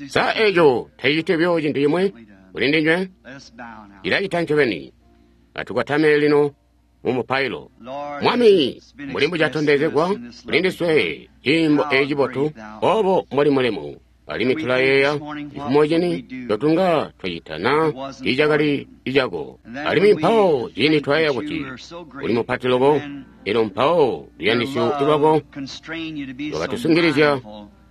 Sa eco taciciti buyo cintu cimwi kuli ndinywe? Cilacita ncobeni. Atukwatame lino mu mupailo. Mwami, mbuli mbucatondezegwa kuli ndiswe ciimbo eci cibotu, obo mboli mulemu. Alimwi tulayeeya cifumo cini ncotunga twacita na tiicakali icako. Alimwi mpawo ciindi twayeeya kuti uli mupati loko, elyo mpawo luyandisyo lwako lwakatusungilizya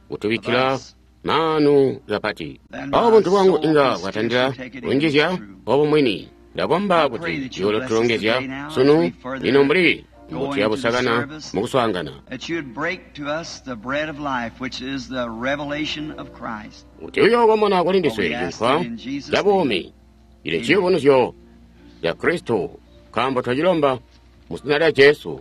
kutubikkila maanu kapati. Mpawo buntu bwangu inga bwatandila kunjizya obo mwini. Ndakomba kuti uyootulongezya sunu lino mbuli mbuti yabusakana mukuswaangana. Kuti uyookomona kuli ndiswe cinkwa ca buumi, cili ciyubunuzyo ca Kristo, nkaambo twacilomba mu zina lya Jesu.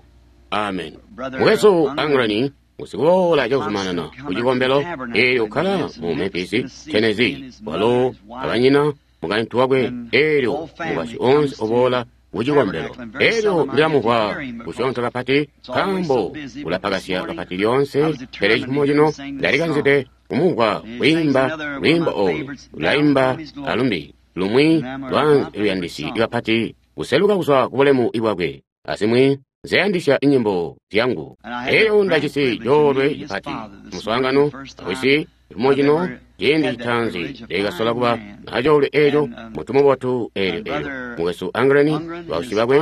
Amen. Mukwesu Anglani usikuboola cakuzumanana ku cikombelo, eelyo ukkala mu Memphis, Tennessee, walo abanyina mukaintu wakwe, eelyo mukwasyi onse uboola ku cikombelo. Eelyo ndilamumvwa kusyoonto kapati, nkaambo ulapakasya kapati lyoonse, pele cifumo cino ndalikanzide kumumvwa kwiimba lwiimbo oolu. Ulaimba alumbi lumwi lwa luyandisi kapati kuseluka kuzwa ku bulemu bwakwe, azimwi nzeyandisya inyimbo zyangu. Elyo ndajisi coolwe cipati muswaangano awisi cifumo cino, ciindi citaanzi ndakasola kuba acoolwe eeco, muntu mubotu. Eelyo eelyo mukwesu Angleni, bausyi bakwe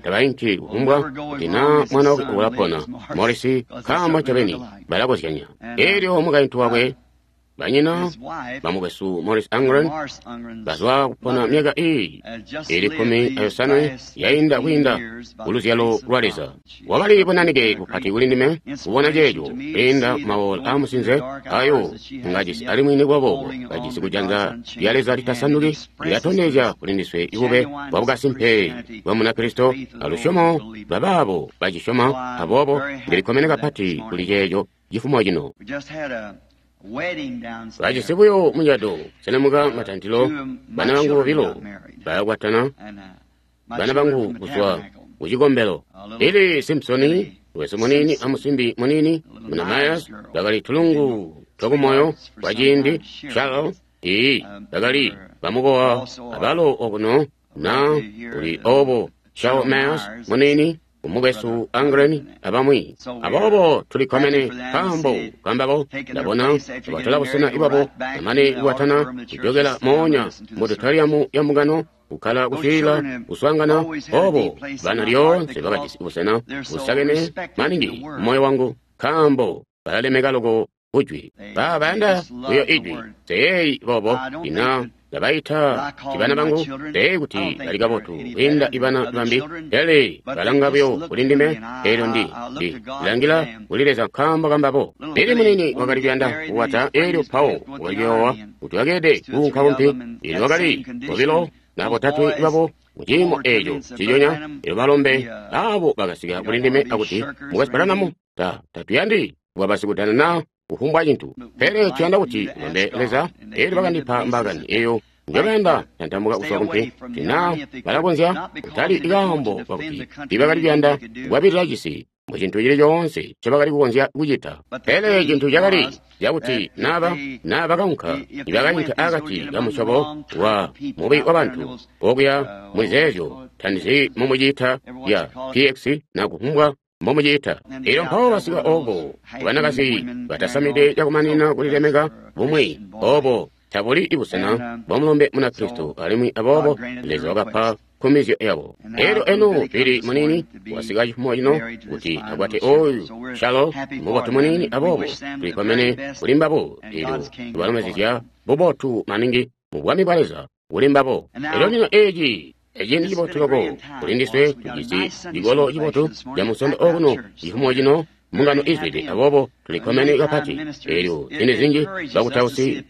tabainki kufumbwa kuti naa mwana wakwe ulapona, Morris, nkaambo ncobeni balakozyanya. Eelyo mukaintu wakwe, banyina bamukwesu Morris Angren, bazwa kupona myaka iyi ili 15 yainda kwiinda kuluzyalo lwa Leza. Wakali bunanike bupati kuli ndime kubona ceeco kwiinda mawola aamusinze ayo ngajisi, alimwi nikuba boobo kajisi kujanza lya Leza litasanduki lilatondezya kuli ndiswe ibube bwa bukasimpe bwa Munakristo alusyomo lwabaabo bacisyoma. Aboobo ndilikkomene kapati kuli ceeco cifumo cino. Bajisi buyo mucado selemuka matantilo, bana bangu bobilo balakwatana, bana bangu kuzwa ku cikombelo. Billy Simpson wesu muniini amusimbi muniini muna Myers bakali tulungu twakumoyo kwa ciindi. Charles, ii, bakali bamukowa abalo okuno na kuli obo Charles Myers muniini, umukwesu Angren abamwi. Aboobo tulikkomene nkaambo kambabo. Ndabona batola busena ibwabo bamane kukwatana kujokela moonya mu auditorium ya mbungano kukkala kuswiilila kuswaangana. Obo bana lyoonse bakajisi busena busakene maningi mumoyo wangu, nkaambo balalemeka loko kujwi. Ba bayanda buyo ijwi. Nseyeeyi boobo ina ndabaita kuti bana bangu, nseyeeyi kuti bali kabotu kwiinda ibana bambi, pele balanga buyo kuli ndime. Eelyo ndi ndilangila kuli Leza nkaambo kambabo. Billy muniini wakali kuyanda kukwata, eelyo mpawo wakali kuyoowa kuti wakeelede kuunka kumpi. Eelyo wakali bobilo na botatwe babo muciimo eeco nciconya. Eelyo balombe abo bakasika kuli ndime akuti, Mukwesu Branham, tatuyandi kuba basikudana na kufumbwa cintu, pele tuyanda kuti ulombe Leza. Eelyo bakandipa mbaakani eyo njobayanda tantamuka kuzwa kumpi, kuti naa balakonzya, kutali kaambo kakuti tiibakali kuyanda kukwabilila cisi mu cintu cili coonse ncobakali kukonzya kucita, pele cintu cakali cakuti naa bakaunka, nibakainka akati kamusyobo wa mubi wabantu okuya mulizeezyo, tandizi mumuciita ya PX na kufumbwa mbomuciita. Elyo mpawo basika oko banakazi batasamide cakumanina kulilemeka bumwi, obo tabuli ibusena bwa mulombe Munakristo, alimwi aboobo Leza wakapa nkumizyo yabo. Elyo eno Billy muniini wasika cifumo cino kuti akwate oyu Shalo mubotu muniini, aboobo tulikkomene kuli mbabo. Elyo tubalomezezya bubotu maningi mu bwami bwa Leza kuli mbabo. Elyo lino eci eciindi cibotu loko kuli ndiswe, tujisi cikolo cibotu ca Munsondo okuno cifumo cino, mbungano izwide, aboobo tulikkomene kapati. Elyo ziindi zinji bakutausi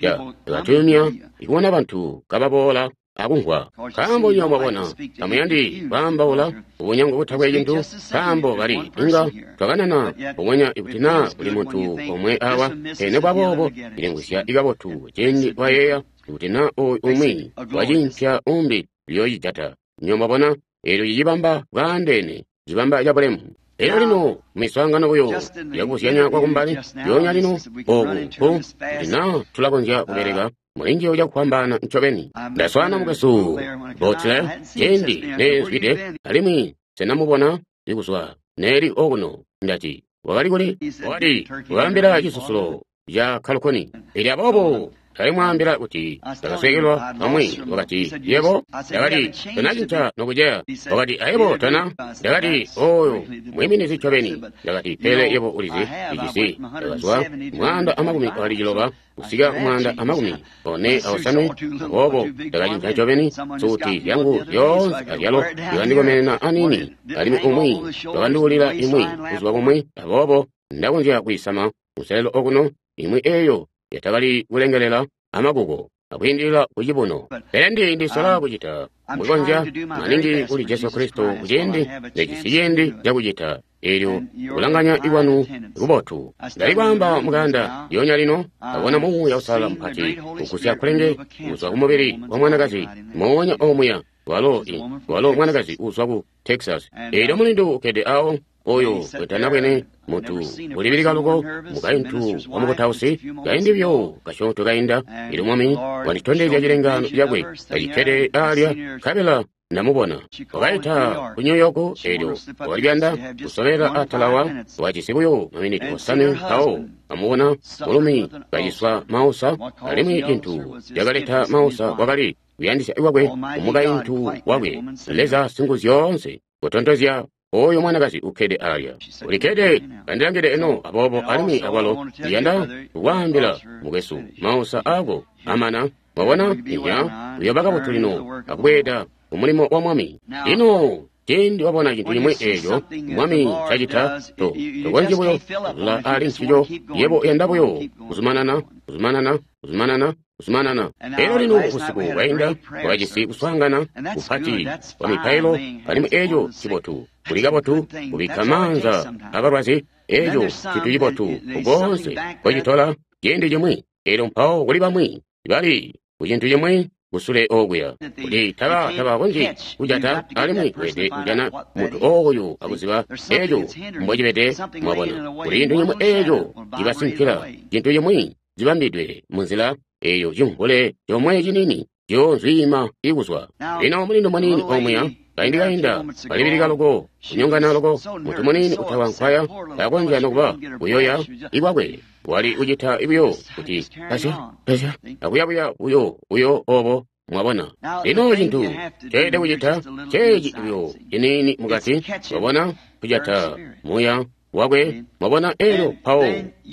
batuyumya kubona bantu kababoola akumvwa, nkaambo nywebo mwabona tamuyandi kwaambaula ubunyango butakwe cintu, nkaambo bali inga twakanana mbubonya ikuti naa kuli muntu omwe awa. Pele nekuba boobo cilimvwisya kabotu ciindi wayeeya kuti naa oyu umwi wacimpya umbi uyocijata. Nywebo mwabona, eelyo cicibamba bwaandeene, cibamba cabulemu. Elyo lino miswaangano buyo yakubuzyanya kwakumbali yoonya lino oku kuti naa tulakonzya kubeleka mulinjiyo cakufwambaana ncobeni. Ndaswaana mukwesu Botler ciindi neezwide, alimwi senamubona kuzwa neeli okuno. Ndati, wakali kuli? Wakati, wakaambila cisusulo ca Kalukoni. Elyo aboobo ndalimwaambila kuti ndakasweekelwa bamwi. Wakati, yebo? Ndakati, tonacinca nokuceya. Wakati, ayebo tona? Ndakati, oyo mwiiminizi ncobeni. Ndakati, pele yebo ulizi ijisi. Ndakazwa 129 kusika 145, aboobo ndakacinca ncobeni. Suuti zyangu zyoonse azyalo zikandikomenena aniini, alimwi umwi wakanduulila imwi buzuba bumwi, aboobo ndakonzya kuyisama kunselelo okuno, imwi eeyo yatakali kulengelela amakuko akwiindilila kucibuno. Pele ndisola kucita mbwikonzya maningi kuli Jesu Kristo kuciindi nejisi ciindi cakucita eelyo kulanganya ikwanu kubotu. Ndali kwaamba mukanda lyoonya lino, abona Muuya Uusalala mupati kugusya kkulenge kuzwa kumubili wa mwanakazi moonya omuya, walo mwanakazi uuzwa ku Texas. Eelyo mulindu ukkede awo oyo wetanabwene muntu ulibilika loko, mukaintu wa mukutausi, kaindi buyo kasyoonto kainda. Elyo Mwami wanditondezya cilengaano cakwe kacikkede alya, nkabela ndamubona. Wakaita ku New York, elyo wakalibanda kusobelela atalawa, wajisi buyo maminiti 5 mpawo amubona mulumi kaciswa mausa, alimwi cintu cakaleta mausa kwakali kuyandisya kwakwe kumukaintu wakwe. Leza Singuzyoonse kutontozya oyo mwanakazi ukkede alya, ulikkede kandilangide eno. Aboobo alimwi akwalo ndiyanda kukwaambila mukwesu, mausa ako amana. Mwabona? Inya uyoba kabotu lino akubweeda kumulimo wa Mwami. Lino ciindi wabona cintu cimwi eeco Mwami cacita, tokonzyi buyo kuzula ali ncico. Yebo uyanda buyo kuzumanana, kuzumanana, kuzumanana, kuzumanana. Elyo lino busiku bwainda wakajisi kuswaangana kupati kwa mipailo, alimwi eeco cibotu. Kuli kabotu kubikka maanza abalwazi, eeco cintu cibotu koonse kocitola ciindi cimwi. Elyo mpawo kuli bamwi bali ku cintu cimwi kusule okuya kuti tabakonzyi kujata, alimwi weelede kujana muntu oyu akuziba eeco mbocibede. Mwabona, kuli cintu cimwi eeco cibasinkila, cintu cimwi cibambidwe munzila eyo cimvule comwe ciniini ciyoozwiima ikuzwa. Lino mulindu muniini omuya kaindi kainda kalibilika loko, kunyongana loko, muntu muniini utawa nkwaya takonzya nokuba kuyoya ikwakwe, wali kucita buyo kuti kasya kasya akuyabuya buyo buyo obo. Mwabona, lino cintu ceelede kucita ceeci buyo ciniini mukati, mwabona, kujata muya wakwe. Mwabona, elyo mpawo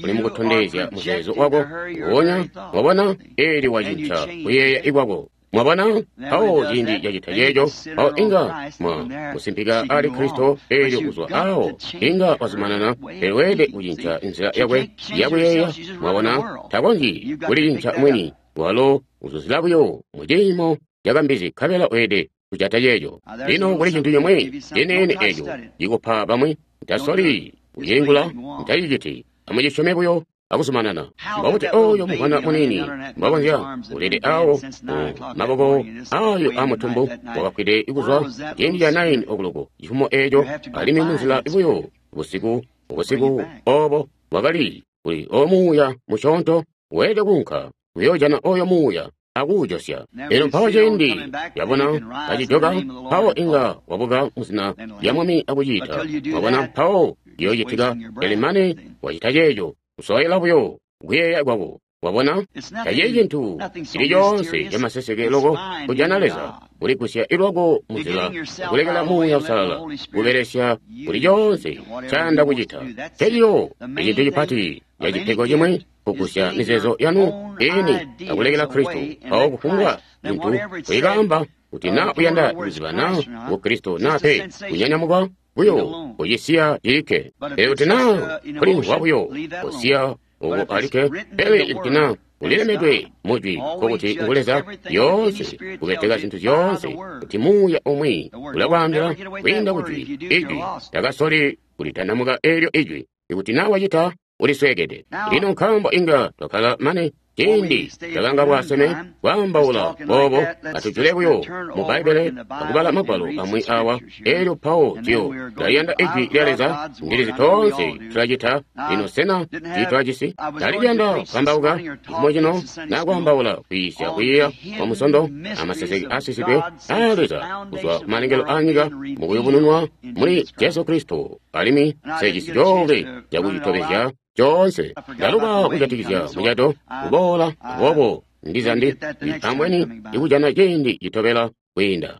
uli mukutondezya muzeezo wako nguwonya. Mwabona, eelyo wacinca kuyeeya ikwako. Mwabona, mpawo ciindi cacita ceeco, mpawo inga mwa musimpika ali Kristo. Eelyo kuzwa awo inga wazumanana, pele weelede kucinca nzila yakwe yakuyeeya. Mwabona, takonzyi kulicinca mwini, walo uzuzila buyo mu ciimo cakambizi, nkabela weelede kujata ceeco. Lino kuli cintu cimwi ciniini eeco cikupa bamwi, ntasoli kucilingula, ntaciciti. Amucisyome buyo akuzumanana. Mbobuti oyo muvwana muniini mbwakonzya ulede awo mu maboko ayo amutumbu wakafwide kuzwa ciindi ca 9 okuloko cifumo eeco, alimwi munzila buyo busiku busiku obo bwakali kuli omuuya musyoonto. Weelede kuunka kuyoojana oyo muuya akuujosya. Elyo mpawo ciindi yabona kacijoka, mpawo inga wabuka muzina lya Mwami akuciita. Mwabona, mpawo ciyoocitika. Pele mane wacita ceeco, kusoyela buyo kuyeeya kwako. Wabona, tacili cintu cili coonse camaseseke loko kujana Leza, kuligusya ilwako munzila, kulekela Muuya Uusalala kubelesya kuli coonse ncayanda kucita. Nceciyo icintu cipati ca cipego cimwi, kugusya mizeezo yanu ini akulekela Kristo. Mpawo kufumbwa cintu kuikaamba kuti naa uyanda kuziba naa ngu Kristo naa pe, kunyanyamuka buyo kucisiya cilikke. Pele kuti naa kulimvwa buyo, kusiya uko alikke. Pele ikuti naa ulilemedwe mujwi, nkokuti ngu Leza yoonse kubeteka zintu zyoonse, kuti muuya umwi ulakwaambila kwiinda kujwi. Ijwi takasoli kulitandamuka eelyo ijwi. Ikuti naa wacita, ulisweekede. Lino nkaambo inga twakkala mane Ciindi cakanga bwaseme kwaambaula boobo, atujule buyo mu Bbaibbele akubala magwalo amwi awa. Elyo mpawo tuyo tulayanda Ijwi lya Leza, ndilizi toonse tulacita. Lino sena tiitwajisi? Ndali kuyanda kukambauka cifumo cino na kwaambaula kwiisya kwiiya kwa Musondo amaseseke aasisidwe aa Leza kuzwa kumalengelo aa nyika mukuyubununwa muli Jesu Kristo, alimwi nsejisi coolwe cakucitobezya coonse. Ndaluba kujatikizya mucato kuboola, aboobo ndiza ndi ambweni ikujana ciindi citobela kwiinda.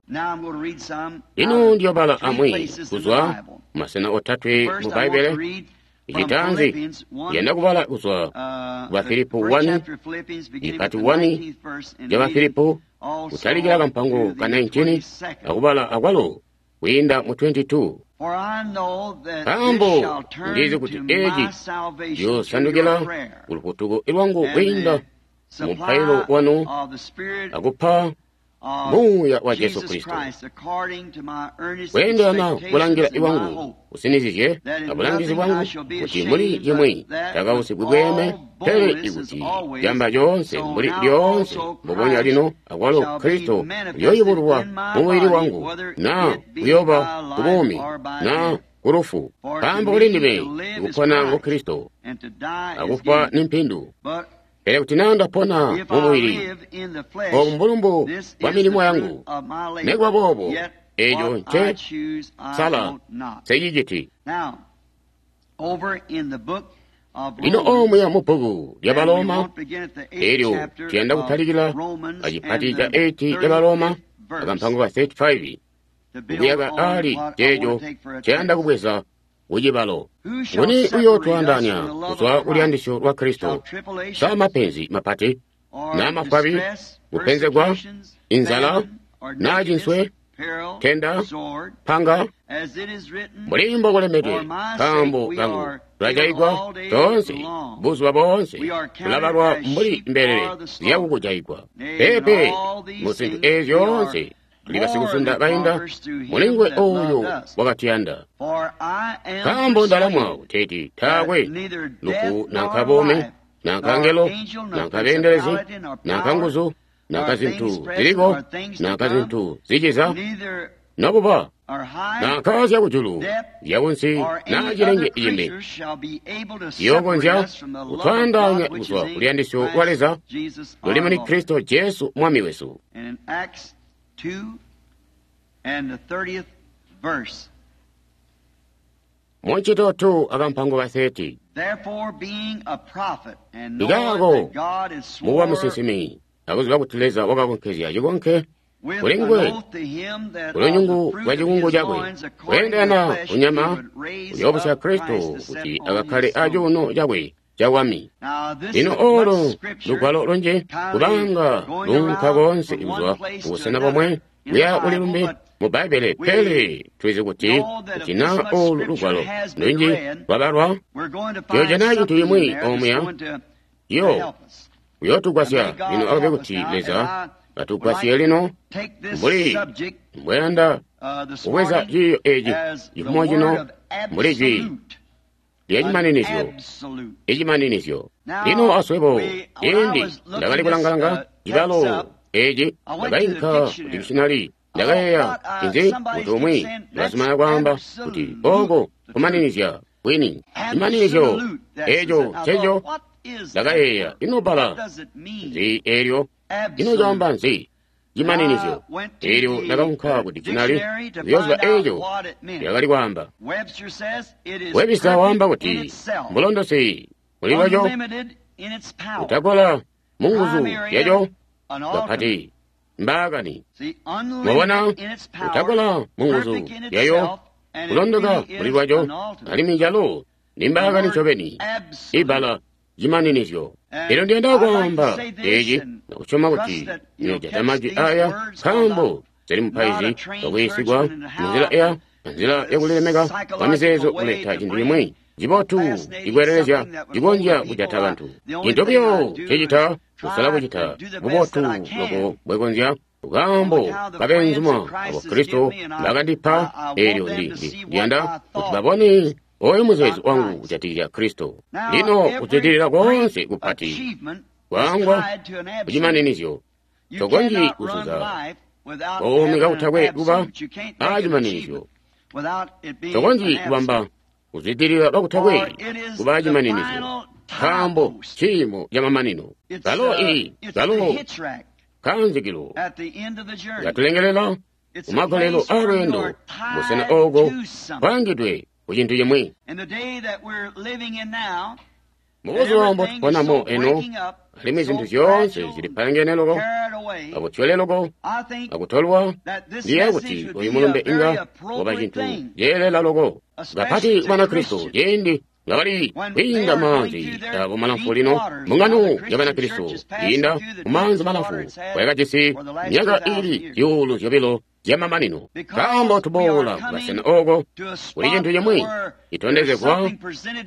Lino ndiyobala amwi kuzwa masena otatwe mu Bbaibbele. Icitaanzi ndiyanda kubala kuzwa ku Bafilipo 1, ipati 1 ya Bafilipo, kutalikila kampango ka 19 akubala akwalo kwiinda mu 22. Nkaambo ndizi kuti eci ciyosandukila kulufutuko lwangu kwiinda mu mupailo wanu akupa Muuya wa Jesu Kristo, kweendelana kulangila iwangu usinizizye abulangizi bwangu kuti muli cimwi takausigwi bweeme, pele ikuti camba coonse mbuli lyoonse mbubonya lino akwalo Kristo uyoyubululwa mumubili wangu, na kuyoba kubuumi na kulufu. Nkaambo kuli ndime ikupona ngu Kristo, akufwa ni mpindu. Pele kuti naa ndapona mumubili, oobu mbulumbu bwa milimo yangu. Nikuba boobo, eeco nce sala nseciciti. Lino omuya mu bbuku lya Baloma, elyo tuyanda kutalikila acipati ca 8 ca Baloma akampango ka 35, kuyaka ali ceeco nceyanda kubweza kucibalo. Nguni uyootwaandaanya kuzwa kuluyandisyo lwa Kristo? Sa mapenzi mapati, na mafwabi, kupenzegwa, inzala, na cinswe, tenda, panga? Mbuli mbokulembedwe, nkaambo kangu tulajayigwa toonse buzuba boonse, tulabalwa mbuli mbelele ziyakukujayigwa. Peepe, mu zintu eezi zyoonse tuli basikusunda bainda mulinguwe ooyo wakatuyanda. Nkaambo ndalamwa kuteeti taakwe lufu nanka buumi, nanka ngelo, nanka beendelezi, nanka nguzu, nanka zintu ziliko, nanka zintu ziciza, nokuba nanka zyakujulu, zyakunsi, na cilenge cimbi ciyookonzya kutwaandaanya kuzwa kuluyandisyo lwa Leza luli muli Kristo Jesu Mwami wesu. 2 and the 30th verse. Muncito 2 akampango ka 30. Therefore, being a prophet and knowing Ikaako that God has mukuba swore musinsimi akuziba kuti Leza wakakonkezya cikonke with kuli an nguwe oath to him that of kulunyungu the fruit lwa of cikungu his cakwe loins, according to the kuyendana flesh, he kunyama would raise uyoobusya up Kristo Christ to set kuti on akakhale his throne. acuuno cakwe cabwami. Now, this Lino is olo much scripture lugwalo lunji kindly kubanga going lunka around konse from one kuzwa place to kubusena another bomwe in the kuya kuli Bible, lumbi but mu Bbaibbele, we pele tulizi kuti know that if kuti this na much olu scripture lugwalo has been lunji read, lwabalwa we're going to find tuyojana cintu something in imwi there that's omuya going to yo help us. uyootugwasya. And may God Lino akabe help us kuti now as Leza I would atugwasye like to lino take this mbuli subject mbweyanda this kubweza morning ciiyo eci as the cifumo word cino of mbuli jwi absolute. lya An cimaninizyo, absolute. icimaninizyo. Now, Lino aswebo when I ciindi was looking ndakali this kulanga-langa text cibalo up, eci, I went to the ndakainka ku dictionary. dictionary. I Ndakayeeya thought inzi somebody kuti umwi keeps saying that's ulazumana kwaamba kuti absolute oko the truth. kumaninizya bwini cimaninizyo Absolute. That's eco it. I thought, nceco. what is that Ndakayeeya word? ino What bbala does it mean? nzi eelyo, ino Absolute. caamba nzi cimaninizyo? I went to Eelyo the ndakaunka ku dictionary dictionary to kuyooziba find out eco what it meant. lyakali kwaamba. Webster says it is Webster waamba perfect in kuti itself, mbulondosi muli lwaco, unlimited in its power, utakola mu nguzu primary yaco and ultimate. kapati mbaakani. See, Mwabona, unlimited in its power, utakola mu nguzu perfect in yayo, itself, and it kulondoka really muli is lwaco, an ultimate. alimwi calo ni The mbaakani word ncobeni, absolute. ibbala cimaninizyo. And Elyo ndiyanda I'd like to kwaamba say this eci and nakusyoma trust kuti that you'll nyoojata catch majwi these aya, words, 'cause nkaambo I'm zili not a mupaizi trained wakuyisigwa churchman and munzila how ya nzila yakulilemeka kwa mizeezo psychological way kuleta to cintu bring cimwi a cibotu fascinating cikweelelezya something that would hold cikonzya the people. kujata I, bantu. the only Cintu thing I buyo do is ncecita kusala try kucita to do the best bubotu that I can loko bwekonzya on nkaambo account of the friends kabeenzuma that abo Christ has Kristo given me, and bakandipa. I want Eelyo them to see what ndiyanda I kuti thought babone oyo muzeezo about wangu Christ. kujatikizya Kristo. Now, Lino every kudzidirira great konse kupati achievement Kwaangwa kucimaninizyo. Tokonzyi kuzuza buumi kakutakwe kuba aacimaninizyo. Tokonzyi kubamba kuzwidilila kakutakwe kuba aacimaninizyo, nkaambo ciimo camamanino. Kalo kalo kanzikilo katulengelela kumagolelo aalweendo, busena ooko kwaangidwe ku cintu cimwi. Mubuzuba mbotuponamo eno, alimwi zintu zyoonse zilipalangene loko, akutyole loko, akutolwa, ndiyeeya kuti oyu mulumbe inga waba cintu ceelela loko, kapati ku Banakristo ciindi ngabali kwiinda maanzi abo malamfu lino. Mbungano ya Banakristo yiinda mumaanzi malamfu kwayakajisi myaka iili 2,000 zyamamanino, nkaambo tuboola kukasena ooko kuli cintu cimwi citondezegwa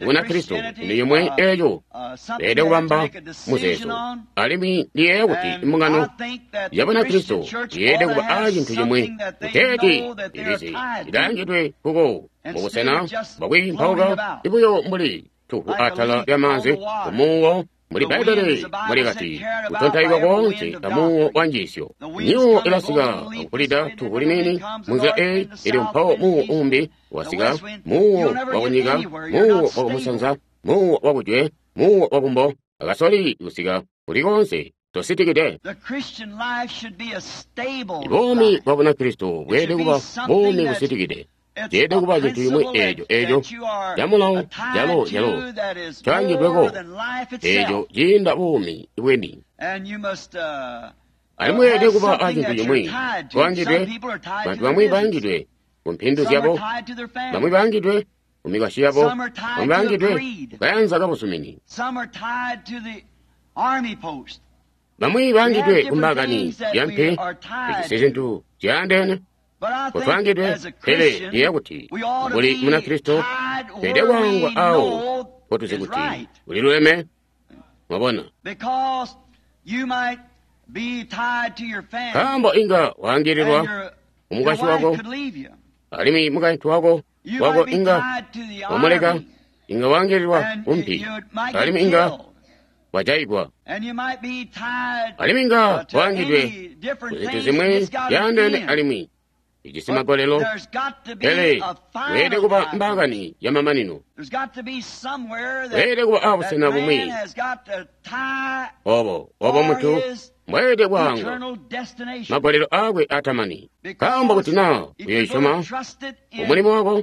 Bunakristo, cintu cimwi eeco beelede kubamba muzeezo. Alimwi ndiyeeya kuti mbungano ya Banakristo yeelede kuba aa cintu cimwi kuteeti ilizi ilaangidwe kuko mubusena bwakwiimpauka ibuyo mbuli tuhu atala lyamaanzi kumuuwo, mbuli Bbaibbele muli kati, kutontaikwa koonse amuuwo wa njiisyo. Myuuwo ilasika akukulida tuhu liniini munzila eyi, elyo mpawo muuwo umbi wasika, muuwo wakunyika, muuwo wakumusanza, muuwo wakujwe, muuwo wakumbo, akasoli kusika kuli koonse tositikide. Buumi bwa Bunakristo bweelede kuba buumi busitikide. Ceelede kuba cintu cimwi eeco eeco camulawo calo calo caangidweko eeco ciinda buumi bweni. Alimwi weelede kuba acintu cimwi kwaangidwe. Bantu bamwi baangidwe ku mpindu zyabo, bamwi baangidwe ku mikwasyi yabo, bamwi baangidwe kukayanza kabuzumini, bamwi baangidwe ku mbaakani yampi. Tujisi zintu zyaandeene kutwaangidwe, pele ndiyeeya kuti mbuli Munakristo tweelede kwaangwa awo mpotuzi kuti uliluleme. Mwabona, nkaambo inga waangililwa kumukwasyi wako, alimwi mukaintu wako inga wamuleka, inga waangililwa kumpi, alimwi inga wajayigwa, alimwi inga waangidwe kuzintu zimwi zyaandeene alimwi ijisi magolelo, pele weelede kuba mbaakani yamamanino. Weelede kuba abusena bumwi obo obo muntu mbweelede kwaangwa magolelo aakwe atamani. Nkaambo kuti naa uyoisyoma mumulimo wako,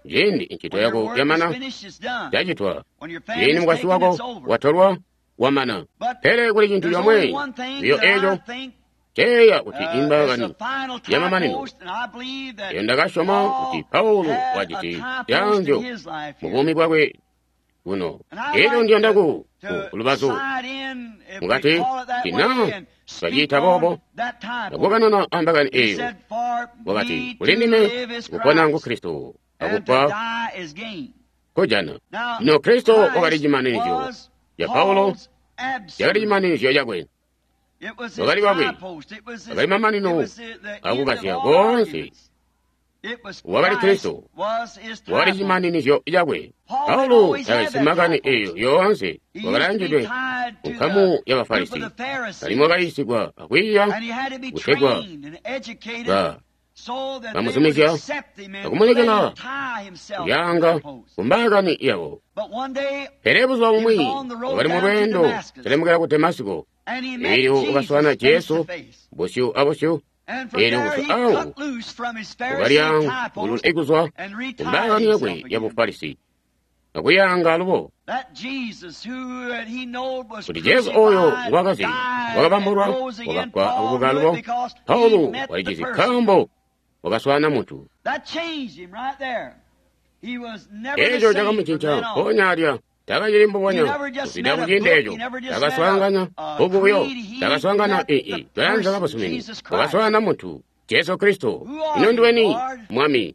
ciindi incito yako yamana, yacitwa, ciindi mukwasyi wako watolwa, wamana. Pele kuli cintu comwe biyo eeco ceeya kuti imbaakani yamamanino, eyo ndakasyoma kuti Paulo wajisi zyaanzyo mu buumi bwakwe buno. Elyo ndiyanda ku lubazu mukati tina twaciita boobo, akukanana ambaakani eyo. Wakati, kuli ndime kupona ngu Kristo, akufwa kujana. Lino Kristo wakali cimaninizyo ca Paulo, cakali cimaninizyo cakwe. Wakali wakwe, wakali mamanino akukazya koonse. Wakali Kristo, wakali cimaninizyo cakwe. Paulo takajisi makani eyo yoonse, wakalaangidwe kunkamu ya Bafarisi, alimwi wakayiisigwa akwiiya kutegwa bamuzumizya akumulekela kulyaanga kumbaakani yabo. Pele buzuba bumwi wakali mulweendo kuselemukela ku Damasiko, elyo wakaswaana Jesu busyu abusyu. Elyo kuzwa awo wakalyaangulula kuzwa kumbaakani yakwe ya Bufarisi akuyaanga alubo kuti Jesu oyo ngwakazi wakabambulwa, wakafwa akubuka alubo. Paulo walicizi nkaambo wakaswaana muntu. Eeco cakamucinca mpoonya alya. Takacili mbubonya kuzwida kuciindi eeco. Takaswaanganya bbuku buyo, takaswaangana kayanza kabuzumini, wakaswaana muntu Jesu Kristo. Ino ndiweni, Mwami?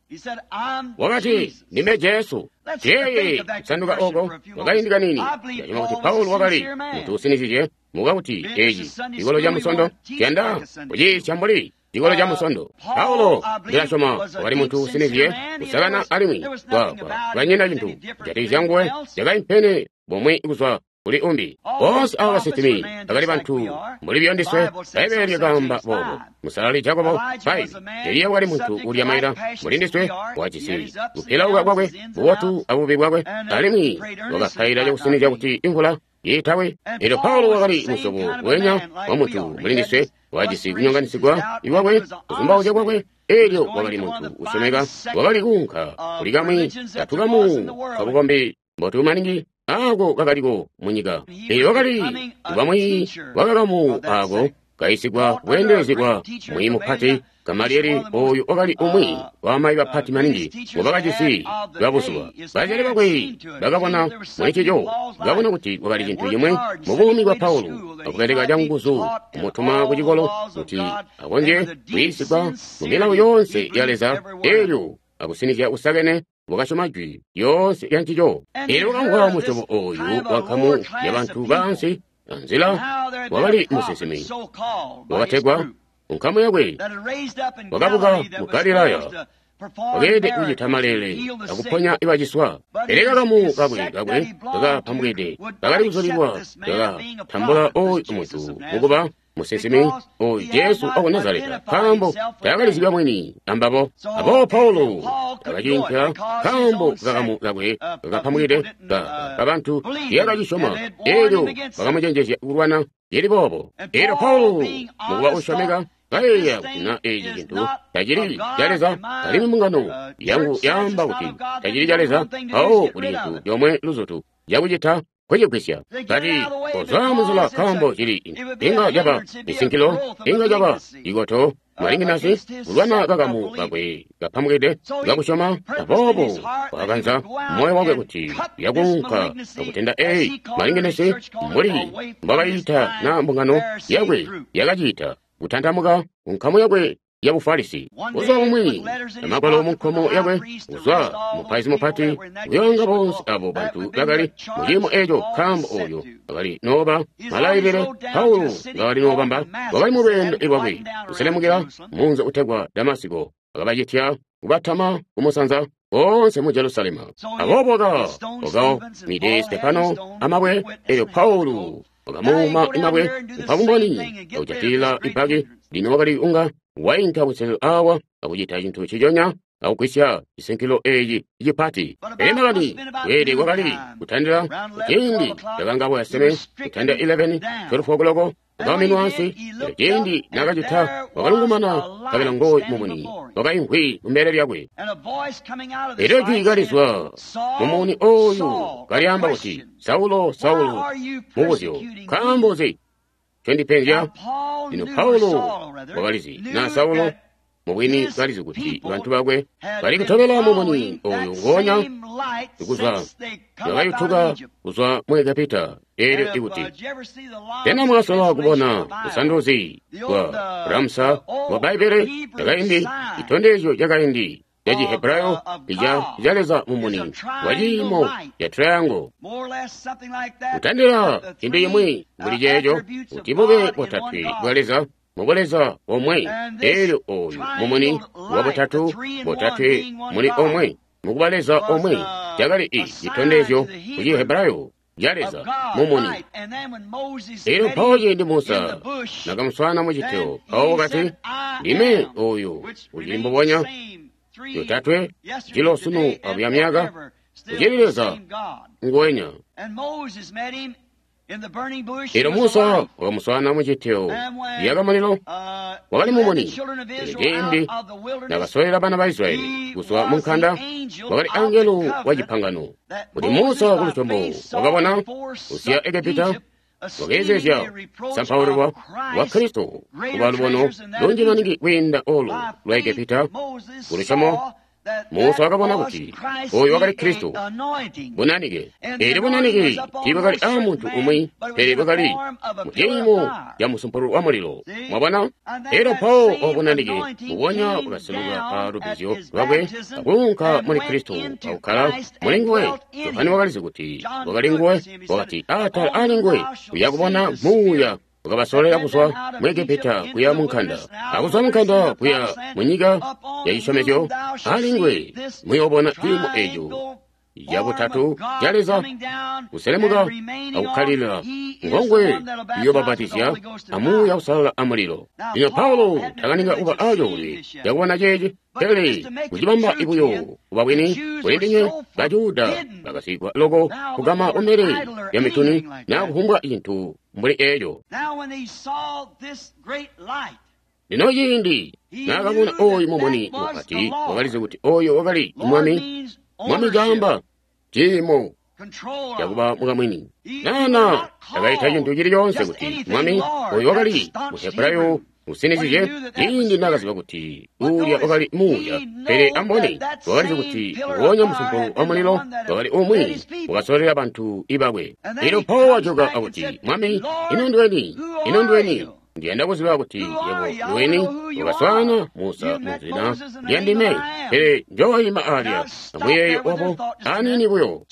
Wakati, ndime Jesu. Jeeye kusanduka oko kwakaindi kanini. Ndasyoma kuti Paulo wakali muntu usinizizye muka kuti eci cikolo ca Musondo ciyanda kuciisya mbuli cikolo ca Musondo. Paulo ndilasyoma wakali muntu usinizye kusakana alimwi kwanyina cintu kujatikizya nguwe cakaimpene bumwi kuzwa kuli umbi. Boonse abo basinsimi bakali bantu mbuli buyo ndiswe. Bbaibbele lyakaamba boobo. Musalali Jakobo 5. Eliya wakali muntu ulya maila mbuli ndiswe, wajisi kupilauka kwakwe, bubotu abubi bwakwe, alimwi wakapaila cakusinizya kuti imvula itawe. Elyo Paulo wakali musyobo wenya wa muntu mbuli ndiswe, wajisi kunyonganisigwa kwakwe, kuzumbauzya kwakwe. Elyo wakali muntu usyomeka, wakali kuunka kuli kamwi katukamu kabukombi mbotu maningi ako kakaliko munyika. Elyo wakali bamwi wakakamu ako kayisigwa bweendelezi bwa mwiiyi mupati Gamalieli. Oyu wakali umwi wamayi bapati maningi ngobakajisi babuzuba. Bazyali bakwe bakabona muli cico, bakabona kuti kwakali cintu cimwe mu buumi bwa Paulo, akubeleka canguzu kumutuma ku cikolo kuti akonzye kuyiisigwa mu milawo yoonse ya Leza. Elyo akusinizya kusakene wakasyoma jwi lyoonse lya ncico. Elyo wakamvwa musyobo oyu wa nkamu ya bantu baansi anzila wakali musinsimi wakategwa nkamu yakwe wakabuka mu Galilaya, wakeelede kucita maleele akuponya ibaciswa. Pele kakamu kakwe kakapambwide kakali kuzulilwa kakatambula oyu muntu mukuba musinsimi oyu Jesu waku Nazareta, nkaambo taakalizibya mwini ambabo. Aboobo Paulo takaciinka, nkaambo kakamu kakwe kakapambwide kabantu tiyakacisyoma. Elyo bakamucenjezya kulwana cili boobo. Elyo Paulo mukuba usyomeka kayeeya kuti na eci cintu tacili ca Leza, alimwi mbungano yangu yaamba kuti tacili ca Leza, mpawo kuli cintu comwe luzutu cakucita kucigwisya. Kati kozwa munzila, nkaambo cili inga caba misinkilo, inga caba ikoto malinginasi kulwana kakamu kakwe kapambwide kakusyoma. Aboobo wakakanza moyo wakwe kuti yakuunka akutenda eyi malinginasi mbuli mbwakayita na mbungano yakwe yakacita, kutantamuka kunkamu yakwe ya Bufarisi. Buzuba bumwi amagwalo munkomo yakwe kuzwa mupaizi mupati kuyonga bonse abo bantu bakali muciimo eco, nkaambo oyo akali nooba malailile Paulo ngakali noobamba. Wakali mu lweendo lwakwe kuselemukila munzi utegwa Damasiko, akabacitya kubatama kumusanza boonse mu Jerusalema. Aboobo wakaumide Stefano amabwe, elyo Paulo wakamuuma mabwe kupa bumboni akujatilila ibaki. Lino wakali unga wainka kuselelo awa akucita cintu ciconya akugwisya cisinkilo eci cipati. Pele makani kweelede kwakali kutandila ciindi cakangabo yaseme, kutandila 11 12 o'clock, wakauminwa ansi. Elyo ciindi nakacita wakalungumana, nkabela ngooyu mumuni wakaimvwi kumbele lyakwe. Elyo jwi kalizwa mumuni oyu kalyaamba kuti, Saulo, Saulo, mubuzyo, nkaambo nzi ncondipenzya? Lino Paulo wakalizi na Saulo mubwini kalizi kuti bantu bakwe bali kutobela mumuni oyu ngonya kuzwa bakayutuka kuzwa mu Egepita. Elyo ikuti tena mwasola kubona busanduzi bwa Ramsa bwa Bbaibbele lyakaindi, citondezyo cakaindi ca Chihebrayo ica ca Leza mumuni wa ciimo ca triangle, kutandila cintu cimwi mbuli ceeco, kuti bube botatwe bwa Leza mu buleza bomwe. Elyo oyu mumuni wa butatu, botatwe muli omwe, mukuba Leza omwe, cakali i citondezyo ku Chihebrayo ca Leza mumuni. Elyo mpawo ciindi Musa nakamuswaana mu citeo, mpawo wakati, Ndime oyu ucili mbubonya yotatwe jilo sunu abuya myaka, ucili Leza nguwenya. Elyo Musa wakamuswaana mu citeo lyakamulilo, wakali mumuni. Elyo ciindi nakasololela bana ba Israyeli kuzwa mu nkanda, wakali angelo wa cipangano. Kuti Musa ku lusyomo wakabona kusiya Egepita, wakeezezya kusampaulwa kwa Kristo kuba lubono lunji maningi kwiinda olu lwa Egepita. Ku lusyomo Musa wakabona kuti oyu wakali Kristo bunanike. Elyo bunanike tiibwakali aa muntu umwi, pele bwakali mu ciimo ca musumpulu wa mulilo. Mwabona? Elyo mpawo obu bunanike mbubonya bwakaseluka pa lubbizyo lwakwe akuunka muli Kristo akukkala muli nguwe. Yohane wakalizi kuti wakali nguwe, wakati atala ali nguwe uya kubona muuya wakabasololera kuzwa mu Egepita kuya mu nkanda, akuzwa mu nkanda kuya mu nyika ya cisyomezyo. Ali nguwe muyoobona ciimo eco cabutatu ca Leza kuselemuka akukkalilila ngongwe uyobapatizya amuuya usalala amulilo. Lino Paulo takaninga kuba acoolwe cakubona ceeci, pele kucibamba buyo kuba bwini kuli ndinywe Bajuda bakasigwa loko kugama kumbele lya mituni naa kufumbwa cintu mbuli eeco. Lino ciindi naakabona ooyu mumuni mupati, wakalizi kuti ooyo wakali Mwami. Mwami caamba ciimo cakuba mukamwini. Nana takaita cintu cili coonse kuti Mwami oyu wakali Muhebrayo usinizizye ciindi naakaziba kuti uulya wakali muuya, pele amboni wakalizi kuti nguonya musumpu wa mulilo wakali umwi wakasololera bantu ibakwe. Elyo Paulo wajoka akuti, Mwami, ino ndiweni? Ino ndiweni? Ndiyanda kuziba kuti yebo ndiweni wakaswaana Musa munzila lya ndime, pele njoyima alya amuyeeyo wabo aniini buyo.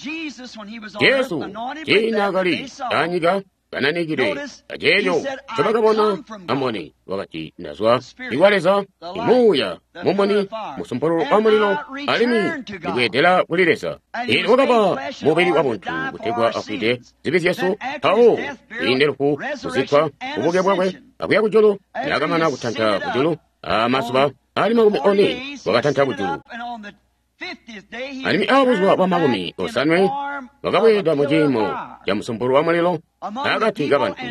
Jesu ciindi naakali anyika kananikile aceeco ncobakabona amboni, wakati, ndazwa ikwa Leza, imuuya mumuni musumpululu wa mulilo, alimwi ndibweedela kuli Leza. Eelyo wakaba mubili wa buntu kutegwa afwide zibi zyesu, mpawo kwiinde lufu, kuzikkwa, bubuke bwakwe akuya kujulu. Naakamana kutanta kujulu amazuba ali 40 wakatanta kujulu. Alimwi abuzuba bwa 50 wakabweeda mu ciimo ca musumpulu wa mulilo akati kabantu,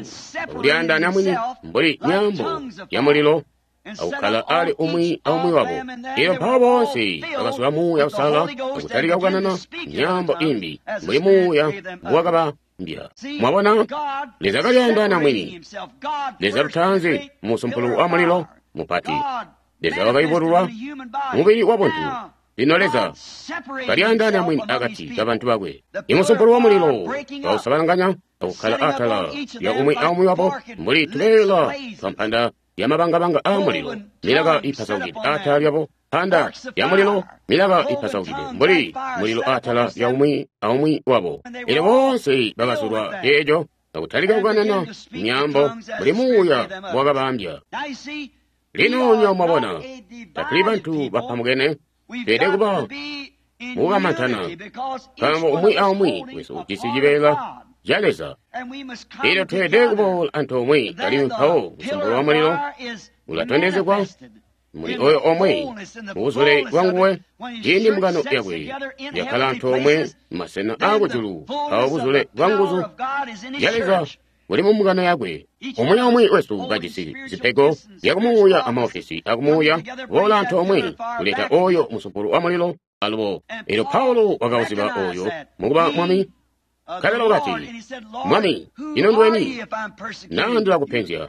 akulyaandaanya mwini mbuli myaambo ya mulilo, akukkala ali umwi aumwi wabo. Elyo mpawo boonse bakazula Muuya Usalala akutalika kukanana myaambo imbi mbuli Muuya mbuwakabambya. Mwabona, Leza kalyaandaanya mwini. Leza lutaanzi musumpulu wa mulilo mupati. Leza wakayubululwa mubili wa buntu. Lino Leza kalyaandaanya mwini akati kabantu bakwe. Imusumpulu wa mulilo wausabalanganya akukkala atala lya umwi aumwi wabo mbuli tubeela twampanda ya mabangabanga a mulilo, milaka ipasaukide atala lyabo, mpanda ya mulilo, milaka ipasaukide mbuli mulilo atala lya umwi aumwi wabo. Elyo boonse bakazulwa eeco akutalika kukanana myaambo mbuli Muuya wakabambya. Lino nywebo mwabona, tatuli bantu bapamukene, tweelede kuba mukukamantana, nkaambo umwi aumwi wesu ujisi cibeela ca Leza. Elyo tweelede kuboola antoomwe, alimwi mpawo musumpulu wa mulilo ulatondezegwa muli oyo omwe mubuzule bwa nguwe. Ciindi mbungano yakwe yakkala antoomwe mumasena aakujulu, mpawo buzule bwa nguzu zya Leza buli mu mbungano yakwe. Umwi aumwi wesu kajisi zipego zyakumuuya amaofesi akumuuya, kuboola antoomwe kuleta oyo musumpulu wa mulilo alubo. Elyo Paulo wakauziba oyo mukuba Mwami. Nkabela wakati, Mwami, ino ndiweni? Naa ndilakupenzya.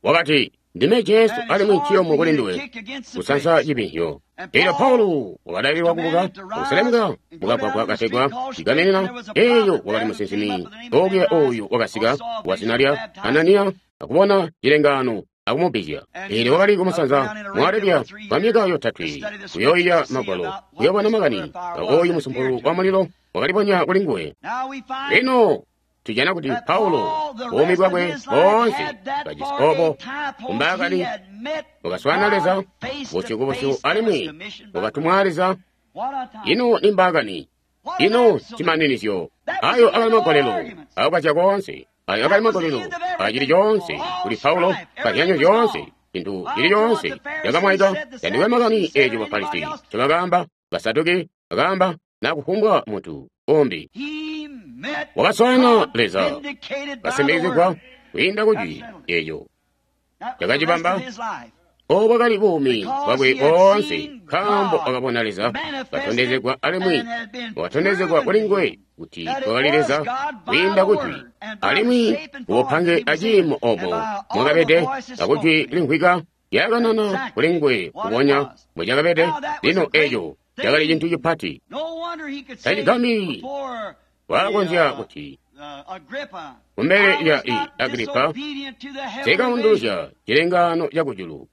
Wakati, ndime Jesu, alimwi nciyumu kuli nduwe kusansa cibinhyo. Elyo Paulo wakadalilwa kubuka akuselemuka mukagwagwa kategwa Cigaminina. Eeyo wakali musinsimi okuya oyu wakasika wazina lya Ananiya akubona cilengaano akumubbizya. Eelyo wakali kumusanza mu Arabiya kwa myaka 3 kuyooyiya Magwalo, kuyoobona makani oyu musumpulu wa mulilo wakalibonya kuli nguwe. Lino tujana kuti Paulo buumi bwakwe boonse kajisi obo kumbaakani wakaswaana Leza busyu kubusyu alimwi wakatumwa Leza. Ino ni mbaakani, ino cimaninizyo. Ayo akali magolelo akukazya koonse. Ayo akali magolelo acili coonse kuli Paulo, kazyanyo zyoonse, cintu cili coonse cakamwaika. Tandikwe makani eeco Bafarisi ncobakaamba, Basaduki bakaamba, na kufumbwa muntu umbi. Wakaswaana Leza kasimikizigwa kwiinda kujwi eeco cakacibamba. Obo bwakali buumi bwakwe boonse, nkaambo wakabona Leza katondezegwa alimwi wakatondezegwa kuli nguwe kuti wakali Leza kwiinda kujwi, alimwi kubupange aciimo obo mwakabede akujwi limvwika lyakanana kuli nguwe kubonya mbwecakabede. Lino eeco cakali cintu cipati. Tacigambyi wakonzya kuti kumbele lya Agripa, sikaunduluzya cilengaano cakujulu.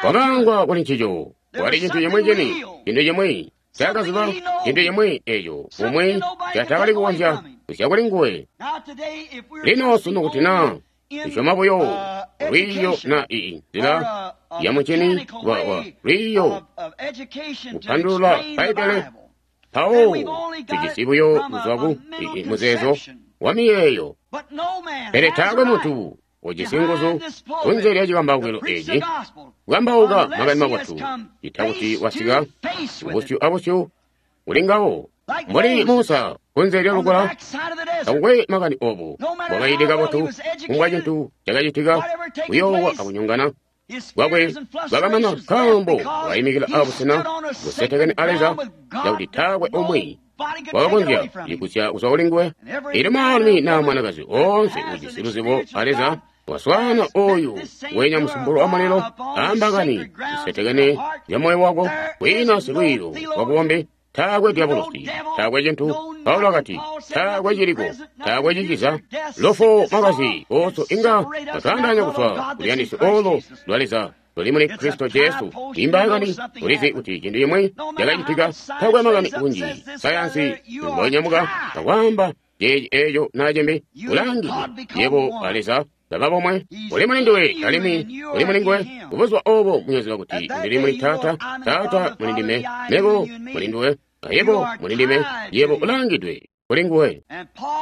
Wakaangwa kuli ncico. Wakali cintu cimwi cini, cintu cimwi cakaziba, cintu cimwi eeco umwi catakali kukonzya kusya kuli nguwe. Lino sunu kuti naa tusyoma buyo lwiiyo na nzila ya muncini wa lwiiyo kupandulula Bbaibbele, mpawo tujisi buyo kuzwa ku muzeezo wa miyeeyo. Pele taakwe muntu ujisi nguzu kunze lya cikambaukilo eci kukambauka makani mabotu, ita kuti wasika busyu abusyu kuli ngawo. Mbuli Musa kunze lya lukola, takukwe makani obo bwakaide kabotu, kumbwa cintu cakacitika, kuyoowa akunyongana kwakwe bwakamana, nkaambo wakayimikila abusena busetekene a Leza, cakuti taakwe umwi wakakonzya kuligusya kuzwa kuli nguwe. Elyo mwaalumi naa mwanakazi oonse ujisi luzibo a Leza waswaana oyu wenya musumbulo wa mulilo ambakani zisetekene zya moyo wako, kwiina silwiiyo wabukombi, taakwe dyabulosi, taakwe cintu. Paulo akati, taakwe ciliko, taakwe ciciza, lufu, makazi oso inga batwaandaanya kuzwa kuluyandisyo olo lwa Leza luli muli Kristo Jesu. Imbaakani ulizi kuti cintu cimwi cakacitika, taakwe makani kunji sayansi mbonyamuka akwaamba ceeci eeco naa cimbi, ulangidwe yebo a Leza baba bomwe. Uli muli nduwe alimwi uli muli nguwe. Kubuzuba obo muyoziba kuti ndili muli Taata, Taata muli ndime, mebo muli nduwe, ayebo muli ndime, yebo ulangidwe kuli nguwe.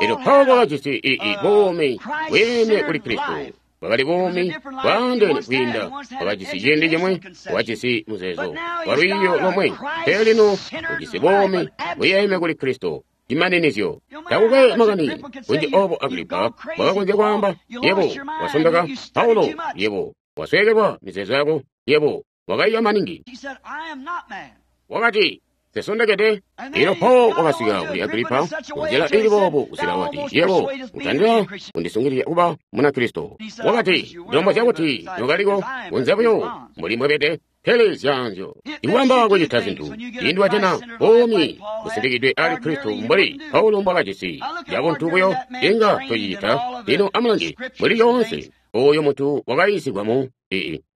Elyo Paulo wakajisi buumi bweene kuli Kristo, bwakali buumi bwaandeene kwiinda wakajisi ciindi cimwe, wakajisi muzeezo wa lwiiyo lomwe, pele lino ujisi buumi buyeeme kuli Kristo. Cimaninizyo. Takukwe makani kunji obo Agripa bwakakonzya kwaamba, yebo wasondoka, Paulo, yebo wasweekelwa mizeezo yako, yebo wakaiya maningi. Wakati, sesondekede. Elyo Paulo wakasika kuli Agripa kunzila ili boobu, kusika wati, yebo utandila kundisungilizya kuba Munakristo. Wakati, ndilombozya kuti nokaliko kunze buyo mbuli mbwebede, pele zyanzyo ikubamba kucita zintu ciindi wajana buumi busimbikidwe ali Kristo mbuli Paulo mbwakajisi yabuntu buyo, inga tocicita. Lino amulange mbuli lyoonse oyo muntu wakayiisigwa mu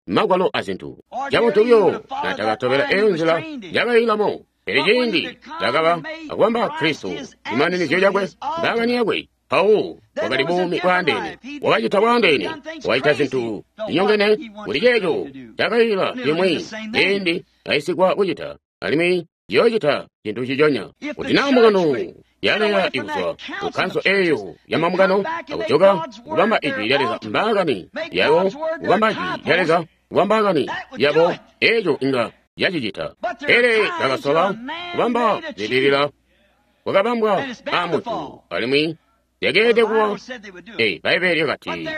magwalo azintu cabuntu buyo, natakatobela eyo nzila yakayilamo. Pele ciindi cakaba akubamba Kristo cimaninizyo cakwe, mbaakani yakwe, Paulo wakali buumi bwaandeene, wakacita bwaandeene, wakacita zintu zinyongene kuli ceeco cakayila cimwi ciindi ayisigwa kucita, alimwi ciyoocita cintu ciconya. Kuti naa mbungano yaleya ikuzwa ku kkanso eeyo ya mambungano akujoka kubamba ijwi lya Leza mbaakani yabo, kubamba ijwi lya Leza kuba mbaakani yabo, eeco inga yacicita. Pele bakasola kubamba zililila kwakabambwa aamuntu, alimwi zyakeelede kuba Bbaibbele lyakati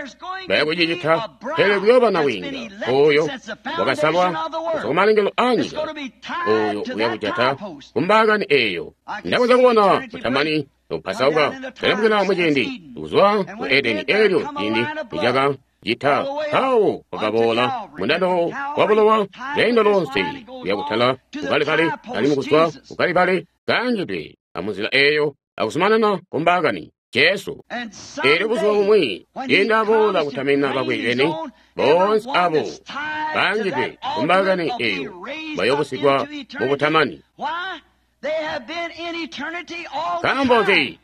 baya kucicita, pele kuyooba nabwiinga oyo wakasalwa kuzwa kumalengelo aanyika, oyo uyakujata kumbaakani eeyo. Ndakonzya kubona kutamani nokupasauka kuselemukila muciindi kuzwa ku Edeni, eelyo ciindi nicaka cita mpawo wakaboola mundando wa bulowa lweendo lonse kuya kutala ku Kalivali, alimwi kuzwa ku Kalivali kaangidwe amunzila eeyo akuzumanana kumbaakani Jesu. Eelyo buzuba bumwi ciindi aboola kutamina bakwe beni, boonse abo baangidwe kumbaakani eeyo bayoobusigwa mu butamani. Nkaambo nzi?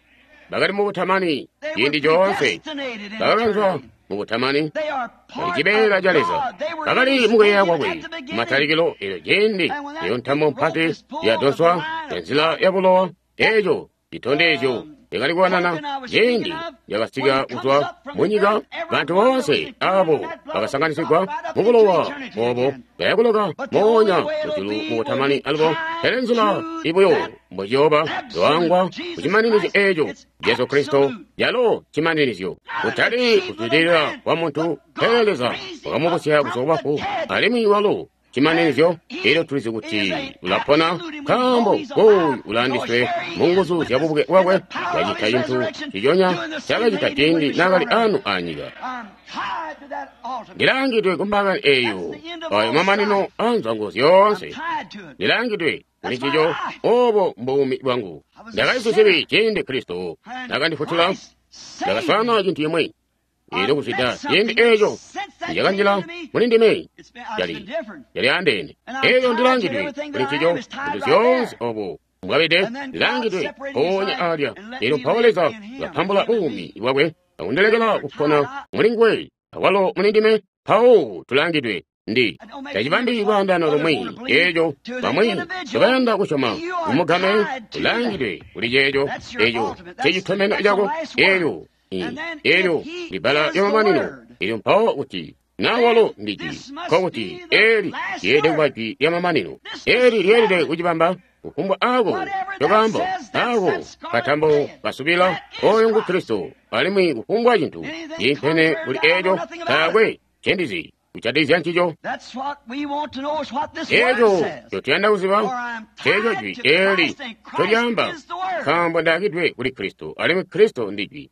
Bakali mu butamani ciindi coonse, bakakanzwa mu butamani, bali cibeela ca Leza, bakali mukuyeeya kwakwe kumatalikilo. Eelyo ciindi eyo ntamo mpati yadonswa enzila ya bulowa, eeco citondezyo yakali kuwanana ciindi yakasika kuzwa munyika, bantu boonse abo bakasanganisigwa mubulowa obo bayakuloka moonya mujulu mubutamani alubo. Pele nzila ibuyo mbociyooba lwangwa kucimaninizyo eeco Jesu Kristo, yalo cimaninizyo, kutali kuzwidilila kwa muntu, pele Leza wakamubusya kuzwa kubafu, alimwi walo cimaninizyo. Elyo tulizi kuti ulapona, nkaambo oyu ulaandiswe mu nguzu zya bubuke bwakwe, wacita cintu ciconya cakacita ciindi naakali anu anyika. Ndilaangidwe kumbaakani eeyo, ayo mamanino anzwango zyoonse. Ndilaangidwe kuli ncico, obo mbuumi bwangu. Ndakali sizibi ciindi Kristo nakandifutula, ndakaswaana cintu cimwi. Elyo kuzwida ciindi eeco njakanjila muli ndime, yali andeene. Elyo ndilaangidwe kuli ncico, zintu zyoonse obo mbwabede, ndilaangidwe mpoonya alya. Elyo mpawo Leza wakapambula buumi bwakwe akundilekela kupona muli nguwe, awalo muli ndime, mpawo tulaangidwe. Ndi tacibambi lwaandaano lumwi eeco bamwi ncobayanda kusyoma kumugame ulaangidwe kuli ceeco eeco ncecitomeno cako eelyo eelyo libbala lyamamanino elyo mpawo kuti na walo ndi jwi nkokuti eli lyeelede kuba jwi lyamamanino eli lyeelede kucibamba kufumbwa ako cokaambo ako katambo kasubila oyo ngu Kristo alimwi kufumbwa cintu ciimpene kuli eeco taakwe ncendizi kucatizya ncico eeco ncotuyanda kuziba ceeco jwi eli ncolyaamba nkaambo ndaakidwe kuli Kristo alimwi Kristo ndi jwi.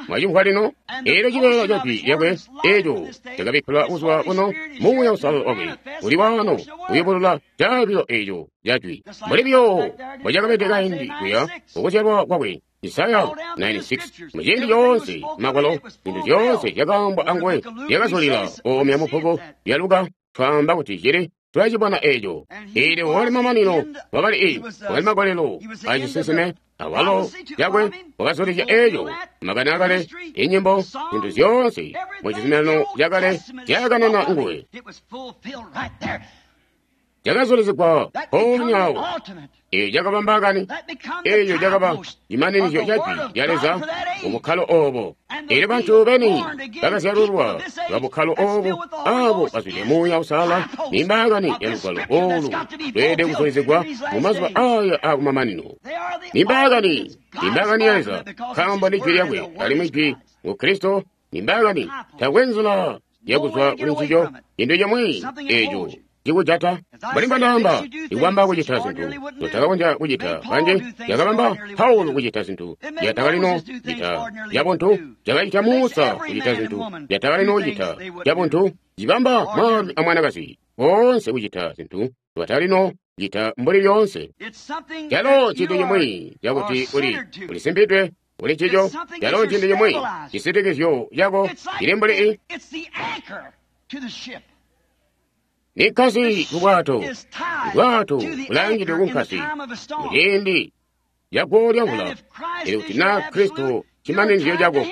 Mwacimvwa lino? Eelyo cibeela ca jwi lyakwe eeco cakabikkilwa kuzwa kuno Muuya Uusalala wakwe uli waano kuyubulula caabilo eeco ca jwi mbuli buyo mbocakabede kaindi kuya kukuzyalwa kwakwe. Isaya 96 muciindi coonse magwalo zintu zyoonse zyakaambwa anguwe zyakazulila oomya mubbuku lya Luka twaamba kuti cili tulacibona eeco. Eelyo wakali mamanino wakali wakali magolelo acisinsime awalo cakwe wakazulizya eeco makani akale inyimbo zintu zyoonse mucizuminano cakale zyakanana nguwe cakazulizigwa mpoonya awo. Eeco cakaba mbaakani, eeco cakaba cimaninizyo ca jwi lya Leza mubukkalo oobo. Eelyo bantu beni bakazyalulwa babukkalo oobu aabo bazwide Muuya Uusalala ni mbaakani ya lugwalo oolu lweelede kuzulizigwa mumazuba aaya aakumamanino. Ni mbaakani, ni mbaakani ya Leza, nkaambo ndi jwi lyakwe alimwi jwi ngu Kristo. Ni mbaakani, taakwe nzila yakuzwa kuli ncico, cintu cimwi eeco cikujata mbuli mbwandaamba ikubamba kucita zintu nzotakakonzya kucita kanje yakabamba Paulo kucita zintu zyatakalino cita cabuntu cakacita Musa kucita zintu zyatakalino kucita cabuntu cibamba mwaalumi amwanakazi boonse kucita zintu zyatalino cita mbuli lyoonse. Calo cintu cimwi cakuti uli ulisimpidwe kuli ncico calo cintu cimwi cisitikizyo cako cili mbuli ni nkasi ku bwato. Bwato bulangidwe ku nkasi muciindi caguwo lya mvula. Elyo kuti naa Kristo cimaninizyo cako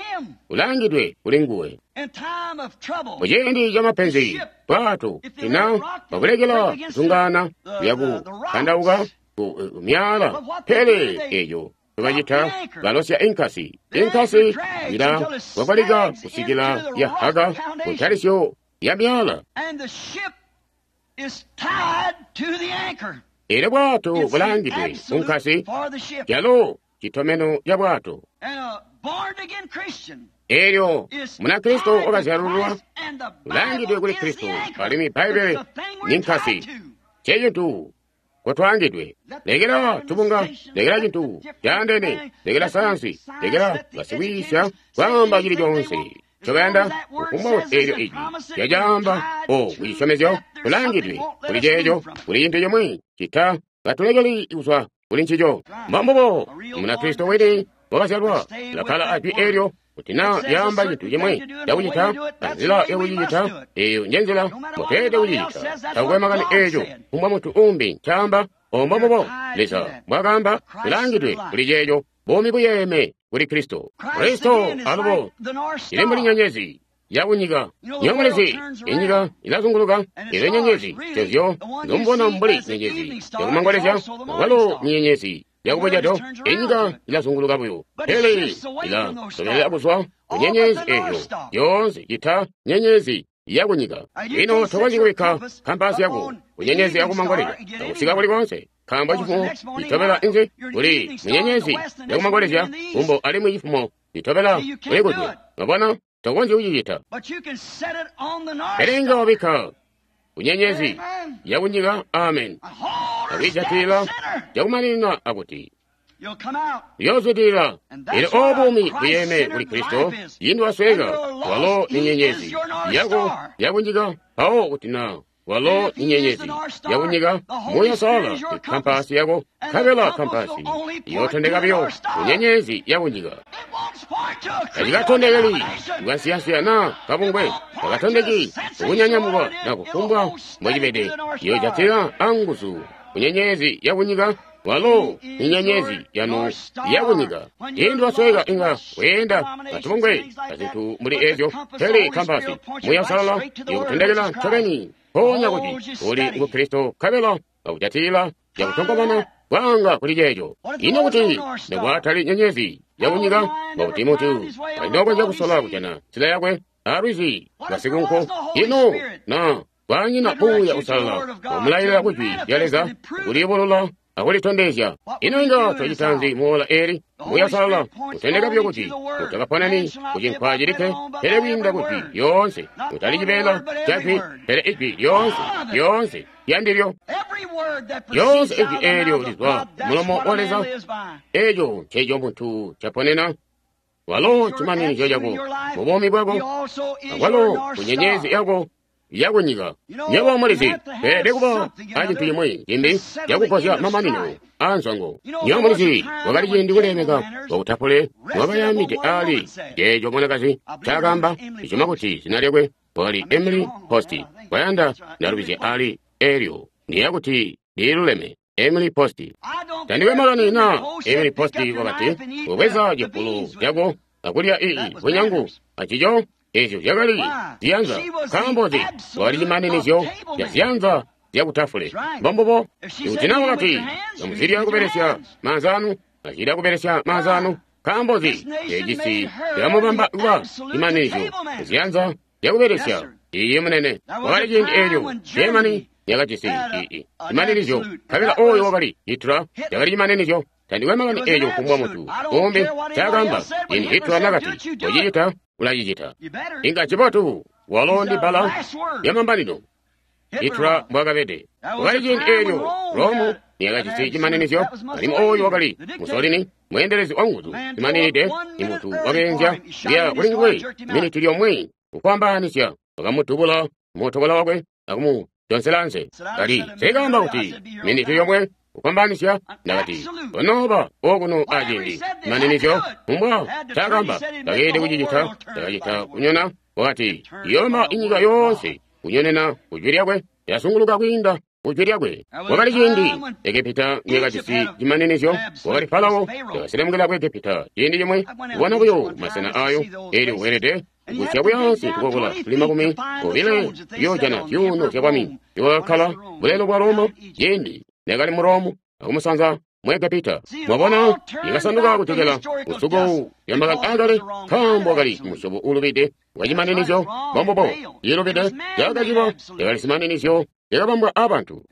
ulangidwe kuli nguwe muciindi ca mapenzi, bwato tina babulekela kuzungaana kuyaku kandauka ku myala. Pele eeco tubacita balosya inkasi, inkasi ila kwakwalika kusikila yahaka ku ntalisyo ya myala. Elyo bwato bulangidwe ku nkasi calo citomeno ca bwato. Elyo Munakristo wakazyalululwa ulangidwe kuli Kristo alimwi Bbaibbele ni nkasi ncecintu kotwaangidwe. Lekela tubunga, lekela cintu caandene, lekela sayansi, lekela basikwiisya kwaamba cili coonse ncobayanda kufumbwa kuti eelyo ijwi lyacaamba o kucisyomezyo tulangidwe kuli ceeco kuli cintu cimwi cita katulekeli kuzwa kuli ncico. Mbombubo Munakristo wini wakazyalwa ulakkala ajwi eelyo kuti naa lyaamba cintu cimwi cakucita anzila yakucicita eeyo njenzila mbotweelede kucicita. Takukwe makani eeco kufumbwa muntu uumbi ncaamba, obo mbombubo Leza mbwakaamba tulangidwe kuli ceeco. Buumi buyeeme kuli Kristo. Kristo alubo ili mbuli nyenyezi yakunyika. Nyongolezi inyika ilazunguluka, eelyo nyenyezi zezyo nzomubona mbuli nyenyezi yakumangolezya awalo nyenyezi yakubucedo. Inyika ilazunguluka buyo, pele ilasobelela kuzwa ku nyenyezi eeyo yoonse cita nyenyezi yakunyika. Ino tokonzyi kubikka kampasi yako ku nyenyezi yakumangolezya akusika kuli koonse, nkaambo cifumo citobela inzi kuli munyenyezi yakumangolezya kumbo alimwi cifumo citobela kuli kujwe. Mwabona, tokonzyi kucicita. Pele inga wabikka ku nyenyezi yakunyika, amen, akwiijatilila cakumaninina akuti uyoozwidilila. Elyo obo buumi buyeeme kuli Kristo, cindi wasweeka, walo ni nyenyezi yako yakunyika. Mpawo kuti naa walo ni nyenyezi yakunyika, Muuya Uusalala kampasi yako, nkabela kampasi iyootondeka buyo ku nyenyezi yakunyika. Tacikatondekeli kukansiyansiya naa kabungwe, takatondeki kukunyanyamukwa na kufumbwa mbocibede. Iyoojatila anguzu ku nyenyezi yakunyika Walo ni nyenyezi yanu yakunyika. Ciindi wasweka inga weenda atubungwe azintu mbuli ezyo, pele kampasi Muuya Uusalala ikutondekela ncobeni mpoonya kuti uli ngu Kristo nkabela akujatilila cakutonkomana bwanga kuli ceeco. Ino kuti nokwatali nyenyezi yakunyika, mbokuti muntu alinokonzya kusola kujana nzila yakwe alwizi lwasikunku? Ino na kwanyina Muuya Uusalala wamulailila kujwi lya Leza kuliyubulula akulitondezya? Ino inga twacita nzi muola eli? Muuya Uusalala utendeka buyo kuti utakaponani kucinkwa cilikke, pele kwiinda kujwi lyoonse, utali cibeela ca jwi, pele ijwi lyoonse, lyoonse lyandilyo. Lyoonse ijwi eelyo lizwa mulomo wa Leza, eeco nceeco muntu caponena. Walo cimaninizyo cako mubuumi bwako, akwalo kunyenyezi yako yakunyika. Nywebo mulizi, beelede kuba acintu cimwi cimbi cakugozya mamanino aanzwango. Nywebo mulizi, wakali ciindi kulemeka wakutapule mwakayaamide aali ceeco mwanakazi ncaakaamba. Ndisyoma kuti zina lyakwe wakali Emily Post. Kwayanda ndalubizya aali eelyo, ndiyeeya kuti liluleme. Emily Post. Tandikwe makani na Emily Post wakati, "Ubweza cipulu cako akulya ii bunyangu acico." Ezyo zyakali ziyanza. Nkaambo nzi? Wakali cimaninizyo ca ziyanza zyakutafule. Mbombubo. Ikuti na wakati, "Kamuzilya kubelesya maanza anu," azilya kubelesya maanza anu. Nkaambo nzi? Ecisi cakamubamba kuba cimaninizyo ziyanza zyakubelesya. Iiyi, munene. Wakali ciindi eelyo Germany yakajisi ii cimaninizyo, nkabela oyo wakali Hitler yakali cimaninizyo. Tandikwe makani eeco kufumbwa muntu umbi ncaakaamba. Ciindi Hitler nakati, "Kocicita," ulacicita. Inga cibotu. Walo ndi bbala lyamambanino. Hitler mbwakabede. Wakali ciindi eelyo Rome niyakajisi cimaninizyo, alimwi oyo wakali Mussolini, mweendelezi wanguzu zimaninide. Imuntu wakeenzya kuya kuli nguwe miniti lyomwe kukwambaanisya, wakamudubula mutokola wakwe akumudonselanze. Kati, "Sekaamba kuti miniti yomwe kukwambanisya?" Ndakati, "Konooba okuno aciindi cimaninizyo." Kumbwa ncaakaamba, takeelede kucicita. Cakacita kunyona. Wakati, "Iyoma inyika yoonse kunyonena kujwi lyakwe." Yasunguluka kwiinda kujwi lyakwe. Wakali ciindi Egepita niyakajisi cimaninizyo. Wakali Farao yakaselemukila ku Egepita ciindi cimwe kubona buyo masena ayo. Eelyo weelede kugusya buyaansi tukokola tuli 20 kuyoojana zyuuno zyabwami iwakakkala bulelo bwa Roma ciindi nakali mu Rome akumusanza mu Egepita. Mwabona, yakasanduka kujokela kusuku lya makani aakale, nkaambo wakali musyobo uulubide wa cimaninizyo. Mbombubo, ilubide cakacilwa yakali zimaninizyo zyakabambwa aabantu.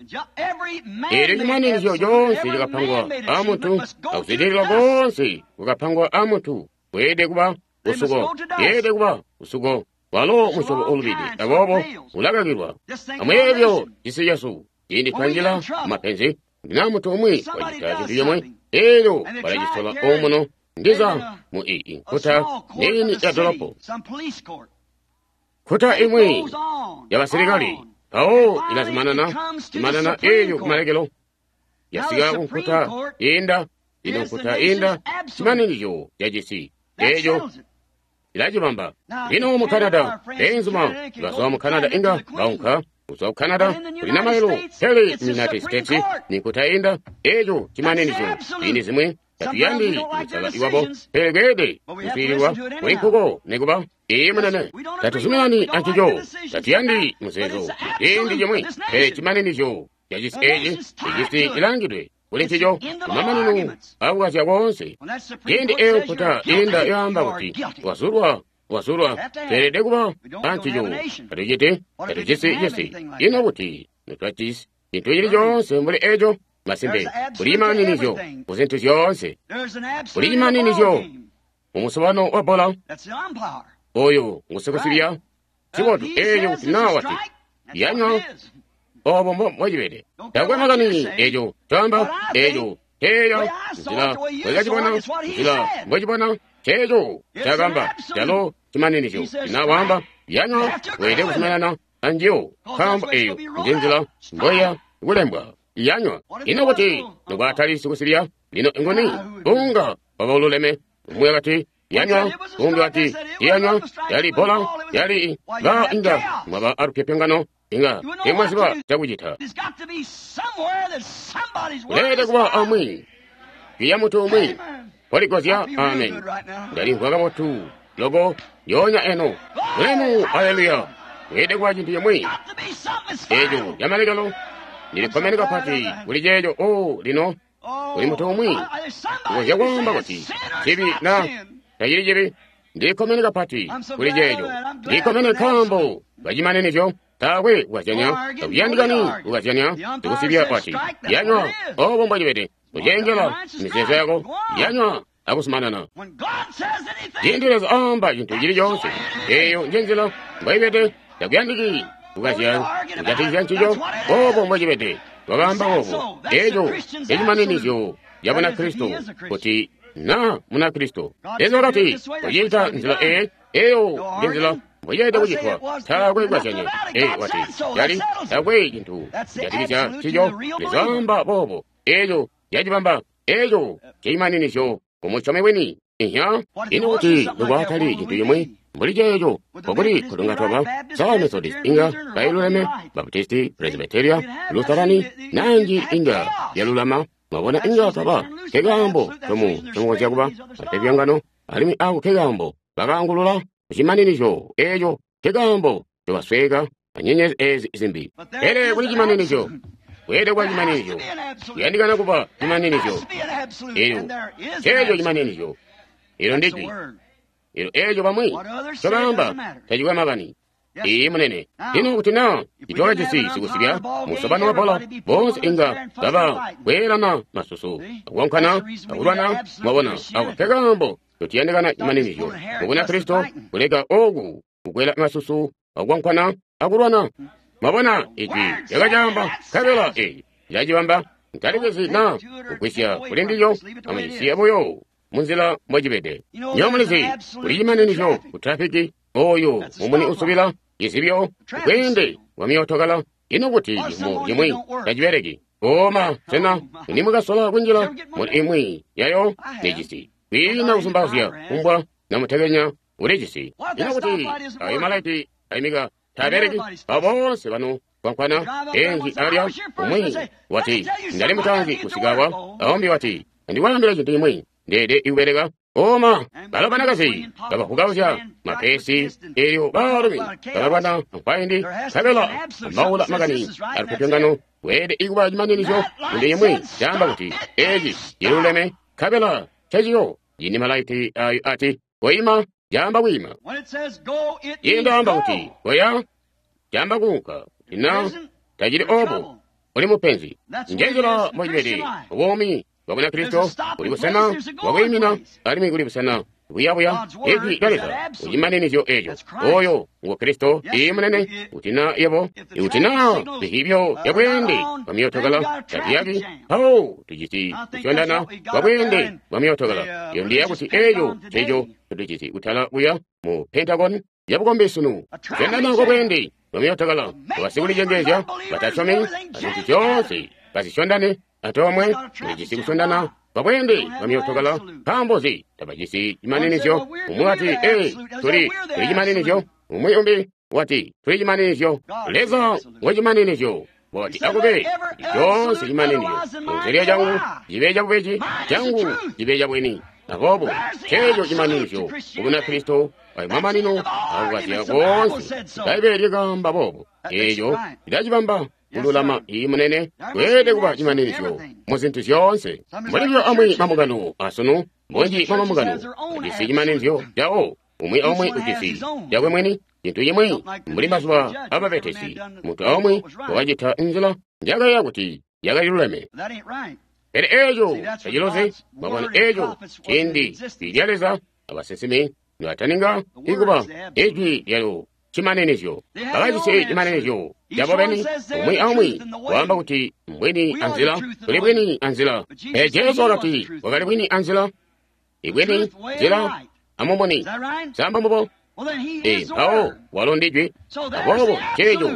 Eelyo cimaninizyo coonse cakapangwa aamuntu, akuzwidilila koonse kwakapangwa aamuntu, kweelede kuba kusuko, yeelede kuba kusuko. Walo musyobo uulubide, aboobo ulakakilwa. Amuyeeye buyo cisi cesu ciindi twanjila mumapenzi, ndina muntu umwi wacita cintu cimwe, eelyo balacisola omuno ndiza mu ii nkuta niini ya dolopo, nkuta imwi yabasilikali, mpawo ilazumanana zumanana, eelyo kumalekelo yasika ku nkuta iinda. Ino nkuta iinda cimaninizyo cacisi eeco ilacibamba. Lino mu Canada, beenzuma bazwa mu Canada inga baunka kuzwa ku Canada kuli namalelo, pele mu United States ni nkuta iinda eeco cimaninizyo. Ziindi zimwi tatuyandi kusala iwabo, pele kweelede kuswiililwa kuli nkuko nikuba. Iiyi, munene. Tatuzuminani ancico, tatuyandi muzeezo ciindi cimwi, pele cimaninizyo cacisi eeci icisi cilangidwe kuli ncico kumamanino akukazya koonse. Ciindi eeyo nkuta iinda yaamba kuti wazulwa, wazulwa, tweelede kuba ancico. Tatuciti, tatujisi cisi. Ino kuti notwajisi cintu cili coonse mbuli eeco? Masimpe, kuli cimaninizyo kuzintu zyoonse. Kuli cimaninizyo mumusobano wa bbola. Oyo ngusikusibya cibotu. Eeco kuti naa wati yanywa, obo mbocibede. Takwe makani eco caamba, eco teeya nzila mbwekacibona, nzila mbwecibona, ceeco cakamba calo cimaninizyo. Na waamba yanywa, weelede kuzumanana anjiyo, nkaambo eyo nje nzila mbweya kulembwa. Yanywa. Ino kuti nokwatali sikusibya? Lino nguni unga waba ululeme? Umwi wakati yanywa, umbi wati iyanywa, yali bbola, yali ba inga mwaba alupyopyongano. Inga teemwaziba cakucita. Kuleelede kuba amwi jwi muntu umwi mpoligozya. Amen. Ndalimvwa kabotu loko lyoonya eno. Bulemu! Aleluya! Kweelede kuba cintu cimwi eco camalekelo. Ndilikkomene kapati kuli ceeco. O lino kuli muntu umwi ukonzya kwaamba kuti cibi na tacili cibi. Ndilikkomene kapati kuli ceeco. Ndilikkomene nkaambo kacimaninizyo. Taakwe kukazyanya, takuyandikani kukazyanya. Sikusibya wati, yanywa, obo mbocibede. Kucenjela mizeezo yako, yanywa akusumanana. Ciindi Leza aamba cintu cili coonse, eeyo njenzila mbwaibede. Takuyandiki kukazya kujatikizya ncico, obo mbocibede. Wakaamba boobo, eeco ncimaninizyo ca Bunakristo, kuti na Munakristo. Leza wakati, kucita nzila eyi, eyo njenzila mbweelede kucitwa. Taakwe kukazyanya. Wati, cali taakwe cintu kujatikizya ncico. Leza waamba boobo, eeco cacibamba, eeco cimaninizyo kumusyomi wini. Inya, ino kuti nokwatali cintu cimwi mbuli ceeco, nkokuti kutunga twaba sa Methodist inga bailuleme, Baptisti, Presbyteria, Lutherani, nanji inga yalulama. Mwabona, inga twaba kekaambo tomu tomukonzya kuba atepyangano, alimwi ako kekaambo bakaangulula kucimaninizyo eeco, kekaambo tobasweka anyenyezi eezi zimbi. Pele kuli cimaninizyo, kweelede kuba cimaninizyo, kuyandikana kuba cimaninizyo. Elyo ceeco cimaninizyo, ilo ndijwi, ilo eeco bamwi cobaamba tacikwe makani. Iyi munene. Lino kuti na itwakajisi sikusibya musobano wa bola, boonse inga baba kweelana masusu, akukonkana, akulwana. Mwabona, ako kekaambo tutiyandikana cimaninizyo mu Bunakristo, kuleka oku kukwela masusu, akukonkana, akulwana. Mwabona, ijwi lyakacaamba, nkabela eyi lyacibamba. Ntalikezi na kugwisya kuli ndilyo, amucisiye buyo munzila mbocibede. Nyo mulizi kuli cimaninizyo ku trafiki, oyo mumuni usubila izibyo bweende bwa myootokala. Ino kuti ciimo cimwi tacibeleki? Oma, sena nimwakasola kunjila muli imwi yayo? Nejisi kwiina kuzumbazya kumbwa namutekenya ulijisi. Ino kuti ayo malaiti aimika taabeleki? Abo boonse bano kwankwana enji alya. Umwi wati, ndali mutanzi kusikawa. Aumbi wati, ndikwaambila cintu cimwi, ndeede ikubeleka. Oma, balo banakazi babahukauzya mapesi, elyo baalumi babalwana nkwaindi, nkabela ambaula makani alupyopyongano. Weelede ikuba cimaninizyo kunde imwi caamba kuti eci ciluleme, nkabela ceciyo. Cindi malaiti ayo ati koima, caamba kwiima. Cindi aamba kuti koya, caamba kuunka. Kuti na tacili obo, uli mupenzi. Njenzila mbocibede buumi bwa Bunakristo. Kuli busena bwakwiimina, alimwi kuli busena buyabuya. Ijwi lya Leza kucimaninizyo eco, oyo ngu Kristo. Iyi munene. Kuti na yebo, ikuti na zihibyo bya bweende bwa myootokala taziyaki, mpawo tujisi kusyondana kwa bweende bwa myootokala. Iyo ndiya kuti eco ceco tujisi kutala kuya mu Pentagon yabukombi sunu, kusyondana kwa bweende bwa myootokala, basikulicengeezya batasyomi azintu zyoonse bazisyondane antoomwe. Tulijisi kusondana babweende bwa myootokala. Nkaambo nzi tabajisi cimaninizyo? Umwi wati, ee, tuli cimaninizyo. Umwi umbi wati, tuli cimaninizyo. Leza wacimaninizyo wati, akube coonse cimaninizyo munzila cangu cibe cabubeji, cangu cibe cabwini. Aboobo ceeco cimaninizyo ku Bunakristo, ayo mamanino akukazya koonse. Bbaibbele lyakaamba boobo, eeco lilacibamba kululama. Iyi munene. Kweelede kuba cimaninizyo mu zintu zyoonse. Mbuli buyo amwi mambungano asunu, bunji bwa mambungano ajisi cimaninizyo cawo. Umwi aumwi ujisi cakwe mwini, cintu cimwi mbuli mazuba ababetesi. Muntu aumwi wakacita nzila njakayeeya kuti yakaliluleme. Pele eeco tacilozi. Mwabona, eeco ciindi jwi lya Leza abasinsimi nibataninga ikuba, ijwi lyalo cimaninizyo. Bakajisi cimaninizyo cabo beni. Umwi aumwi waamba kuti mbwini anzila, tuli bwini anzila. Pele Jesu wakati wakali bwini anzila, ibwini nzila amumuni. Samba mbubo? Mpawo walo ndijwi. Aboobo ceeco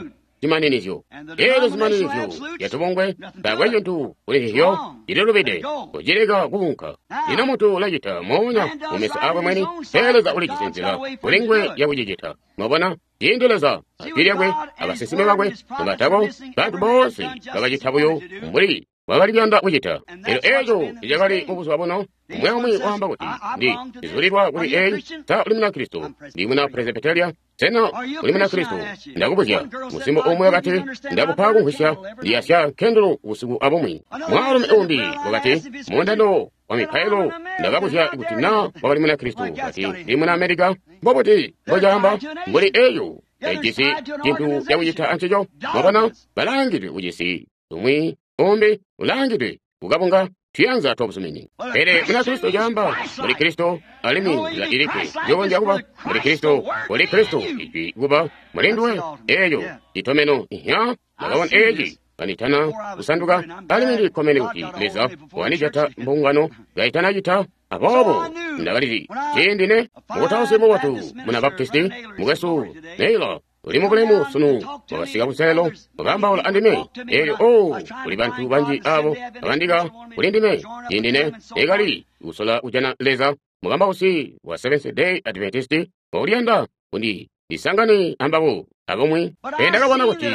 cimaninizyo. Elyo zimaninizyo zyatubungwe taakwe cintu kuli nzizyo, cililubide, kucileka kuunka. Lino muntu ulacita moonya mu meso aakwe mwini, pele Leza ulijisi nzila kuli nguwe yakucicita. Mwabona? Ciindi Leza ajwi lyakwe abasinsimi bakwe nobatako, bantu boonse bakacita buyo mbuli bakali kuyanda kucita. Elyo eco nicakali mu buzuba buno. Umwi aumwi waamba kuti, Ndi zulilwa kuli eyi. Sa uli Munakristo? Ndi muna Presbyteria. Sena uli Munakristo? Ndakubuzya. Musimbi umwi wakati, Ndakupa kumvwisya, ndiyasya nkendulu busiku abumwi. Mwaalumi umbi wakati, mundando wa mipailo, ndakabuzya kuti na wakali Munakristo. Wakati, Ndi muna Amerika. Mbobuti mbocaamba mbuli eyo taijisi cintu cakucita ancico? Mwabona, balaangidwe kucisi umwi umbi ulaangidwe kukabunga tuyanza twabuzumini. Pele Munakristo caamba muli Kristo, alimwi nzila ilikke njokonzya kuba muli Kristo, kuli Kristo ijwi kuba muli nduwe. Eeyo citomeno ihya ndakabona eeci kanditana kusanduka, alimwi ndikkomene kuti Leza wandijata mbungano kaitanacita. Aboobo ndakalizi ciindi ne mukutausi mubotu muna Baptisti mukwesu Naylor uli mubulemu sunu wakasika kuselelo wakaambaula andime. Elyo oh, kuli bantu banji abo babandika kuli ndime ciindi ne ekali kusola kujana Leza. Mukambausi wa Seventh Day Adventist wakuliyanda kundi ndisangane ambabo abamwi. Pele ndakabona kuti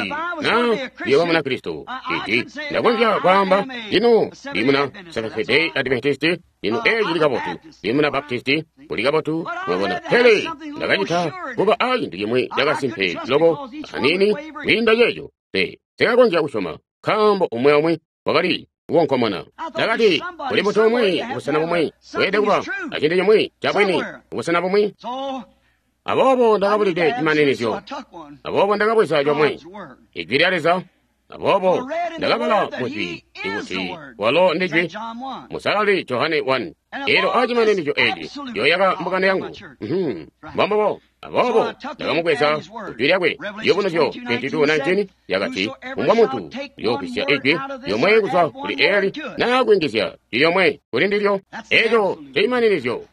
na ndiyooba Munakristo, iti ndakonzya kwaamba lino ndi muna Seventh Day Adventist, lino eeci cili kabotu, ndi muna Baptisti, kuli kabotu, mwabona. Pele ndakacita kuba a cintu cimwi cakasimpe loko aniini kwiinda ceeco. Pe sikakonzya kusyoma, nkaambo umwi aumwi wakali kukonkomona. Ndakati kuli muntu umwi kubusena bumwi weelede kuba acintu cimwi cabwini kubusena bumwi. Aboobo ndakabulide cimaninizyo. Aboobo ndakabweza comwe, ijwi lya Leza. Aboobo ndakabala mujwi ikuti walo ndi jwi, Musalali Johane 1. Elyo acimaninizyo eeci yoyaka mbungano yangu. Mbombubo. Aboobo ndakamubweza kujwi lyakwe. Ciyubunuzyo 22:19 yakati, Kumbwa muntu uyoogwisya ijwi lyomwe kuzwa kuli eli naa kuyungizya jwi lyomwe kuli ndilyo. Eeco ncimaninizyo.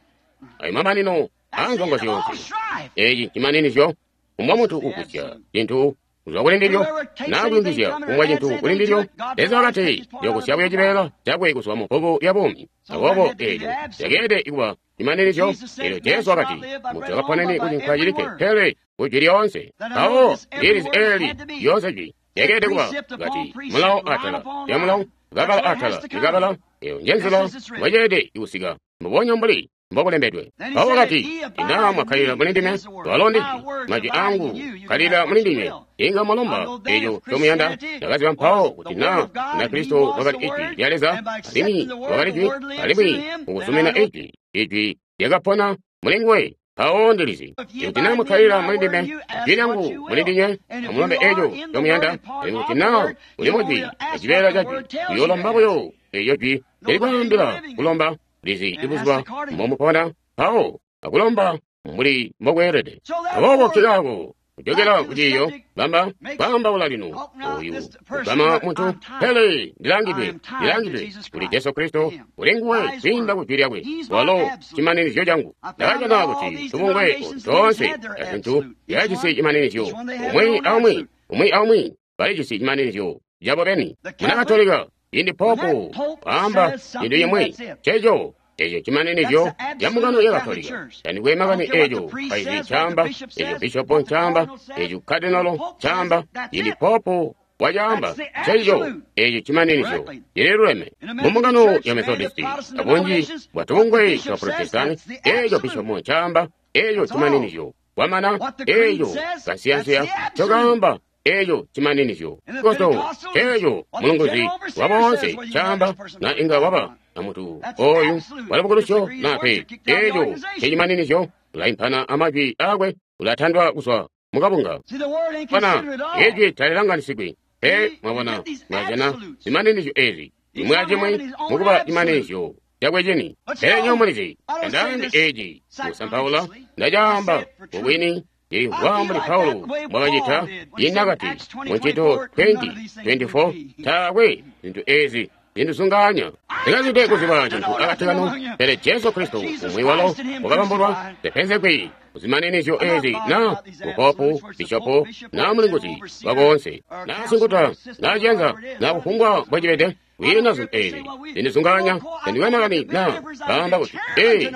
Ayo mamanino aanzongo zyoonse. Eeci ncimaninizyo. Kumbwa muntu ugwisya cintu kuzwa kuli ndilyo naa kuyungizya kumbwa cintu kuli ndilyo, Leza wakati uyoogusya buyo cibeela cakwe kuzwa mu bbuku lya buumi. Aboobo eeco cakeelede kuba cimaninizyo. Elyo Jesu wakati, muntu akaponeni kucinkwa cilikke, pele kujwi lyoonse. Mpawo ndilizi eli lyoonse jwi lyakeelede kuba kati mulawo atala lya mulawo, kabala atala likabala. Eyo njenzila mwaceelede kusika, mbubonya mbuli mbokulembedwe. Mpawo wakati, ina mwakkalila muli ndime, walo ndijwi, majwi angu kkalila muli ndinywe, inga mwalomba eco ncomuyanda. Ndakaziba mpawo kuti na Munakristo wakali ijwi lya Leza, alimwi wakali jwi, alimwi mukuzumina ijwi, ijwi lyakapona muli nguwe. Mpawo ndilizi kuti na mwakkalila muli ndime, jwi lyangu muli ndinywe, amulombe eco ncomuyanda, alimwi kuti na uli mujwi acibeela ca jwi, uyoolomba buyo eco jwi lyalikwaambila kulomba. Lizi ibuzuba mbomupona mpawo akulomba mbuli mbokweelede. Aboobo nkikaako kujokela kuciiyo bamba kwaambaula lino oyu kugama muntu, pele ndilangidwe kuli Jesu Kristo, kuli nguwe kwiinda kujwi lyakwe, walo cimaninizyo cangu. Ndakajana kuti tubungwe toonse azintu zyajisi cimaninizyo, umwi aumwi, umwi aumwi balijisi cimaninizyo cabo beni. Muna Katolika, ciindi popu waamba cintu cimwi, ceco eco cimaninizyo ca mbungano ya Katolika. Tandikwe makani eco paizi ncaamba, eco bishopo ncaamba, eco kadinolo ncaamba, ciindi popu wacaamba, ceco eco cimaninizyo cililuleme. Mu mbungano ya Methodisti, abunji bwa tubungwe twa Protestani, eco bishopo ncaamba, eco cimaninizyo. Kwamana eco kansiyansiya ncokaamba, eco cimaninizyo. Koto eco mulunguzi wa boonse ncaamba, na inga waba na muntu oyu walabukulusyo na pe, eco ncimaninizyo. Ulaimpana amajwi akwe, ulatandwa kuzwa mukabunga. Bana ijwi talilanganisigwi pe. Mwabona, mwajana zimaninizyo ezi cimwi acimwi mukuba cimaninizyo cakwe cini. Pele nywebo mulizi, tandaambi eci kusampaula, ndacaamba mubwini. Ndimvwa mbuli Paulo mbwakacita ciindi nakati mu Ncito 20:24, taakwe zintu ezi zindizungaanya. Ndikazide kuziba cintu akati kanu, pele Jesu Kristo umwi walo wakabambulwa zipenzegwi kuzimaninizyo ezi na mupopu, bishopu, na mulinguzi wakoonse, na sinkuta, na ciyanza, na kufumbwa mbwecibede. Kwiina zintu ezi zindizungaanya, tandikwe na baamba kuti ee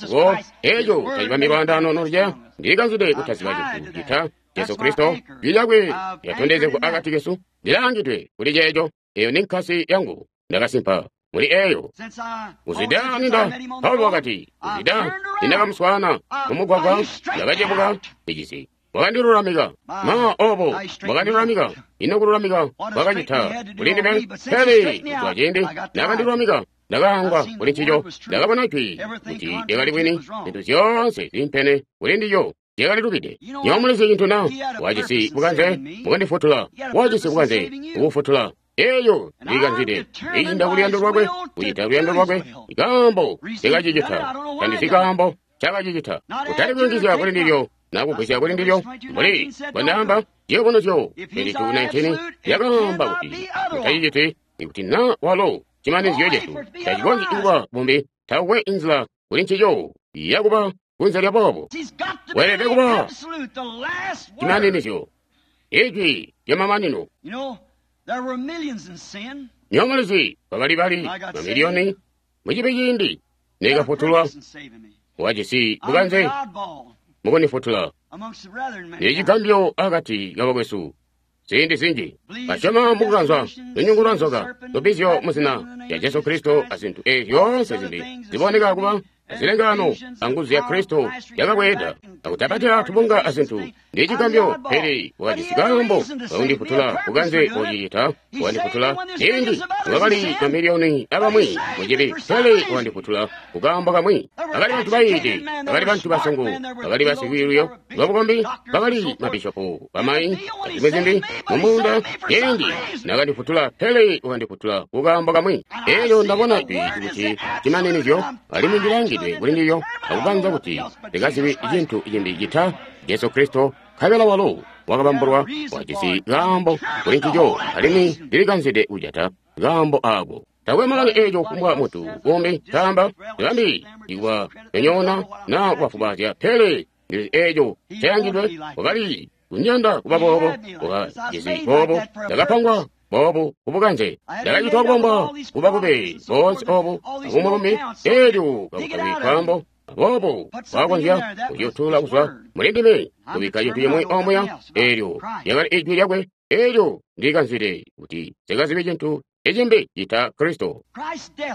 ko eco tacibambi lwaandaano noluceya. Ndilikanzide kutaziba cintu cita Jesu Kristo, jwi lyakwe lyatondezegwa akati kesu. Ndilaangidwe kuli ceeco. Eyo ni nkasi yangu, ndakasimpa muli eyo. Kuzida ninda Paulo wakati, kuzida nindakamuswaana mumugwagwa, ndakacebuka icisi. Wakandilulamika ma obo wakandilulamika. Ino kululamika wakacita kuli ndime, pele kuzwa ciindi nakandilulamika ndakaangwa kuli ncico. Ndakabona jwi kuti lyakali bwini, zintu zyoonse ziimpene kuli ndilyo zyakalilubide. Nywebo mulizi cintu na wajisi bukanze bukandifutula, wajisi bukanze bukufutula. Eyo ndilikanzide iinda kuluyando lwakwe, kucita luyando lwakwe. Ikaambo ndikacicita, tandizi kaambo cakacicita. Kutali kuyungizya kuli ndilyo nakugwisya kuli ndilyo, mbuli bwandaamba ciyubunuzyo 22:19 lyakaamba kuti mutaciciti. Ikuti na walo cimanizyo cesu tacikonzyi kuba bumbi, takwe inzila kuli ncico yakuba kunze lya boobo. Weelede kuba cimaninizyo, ijwi lyamamanino. Nywebo mulizi kwakali bali mamiliyoni mucibi ciindi nekafutulwa. Wajisi bukanze mukundifutula. Ndili cigambyo akati kabakwesu ziindi zinji basyoma mukukanzwa lunyungu lwa nzoka, lubbizyo muzina lya Jesu Kristo, azintu ezi zyoonse zimbi ziboneka kuba azilengano anguzu ya Kristo yakabweeda akutapatila tubunga azintu. Ndi cigambyo, pele wakajisi kaambo kakundifutula, bukanze bocicita wakandifutula. Ciindi wakali mamiliyoni abamwi mucibi, pele wakandifutula kukaambo kamwi. Bakali bantu bayiide, bakali bantu basongo, bakali basikwiiluyo lwabukombi, bakali mabishopu, bamayi, azimwi zimbi mumuunda. Ciindi nakandifutula, pele wakandifutula kukaambo kamwi. Elyo ndabona jwi kuti cimaninizyo, alimwi ndilangidwe kuli ndilyo akukanza kuti ndikazibi cintu cimbi cita Jesu Kristo, nkabela walo wakabambulwa wajisi kaambo kuli ncico, alimwi ndilikanzide kujata kaambo aako. Takwe makani eeco kufumbwa muntu umbi taamba, ndilambi ikuba nyonyoona na kubafubaazya, pele ndilizi eeco cayangidwe. Wakali kunyanda kuba boobo, wakajisi boobo, ndakapangwa boobu kubukanze, ndakacitwa kubombwa kuba kube boonse obu abumulumi. Eelyo kakutabi kaambo aboobo wakonzya kuciyutulula kuzwa muli ndime, kubikka cintu cimwi omuya. Eelyo lyakali ijwi lyakwe. Eelyo ndilikanzide kuti sikazibe cintu ecimbi cita Kristo.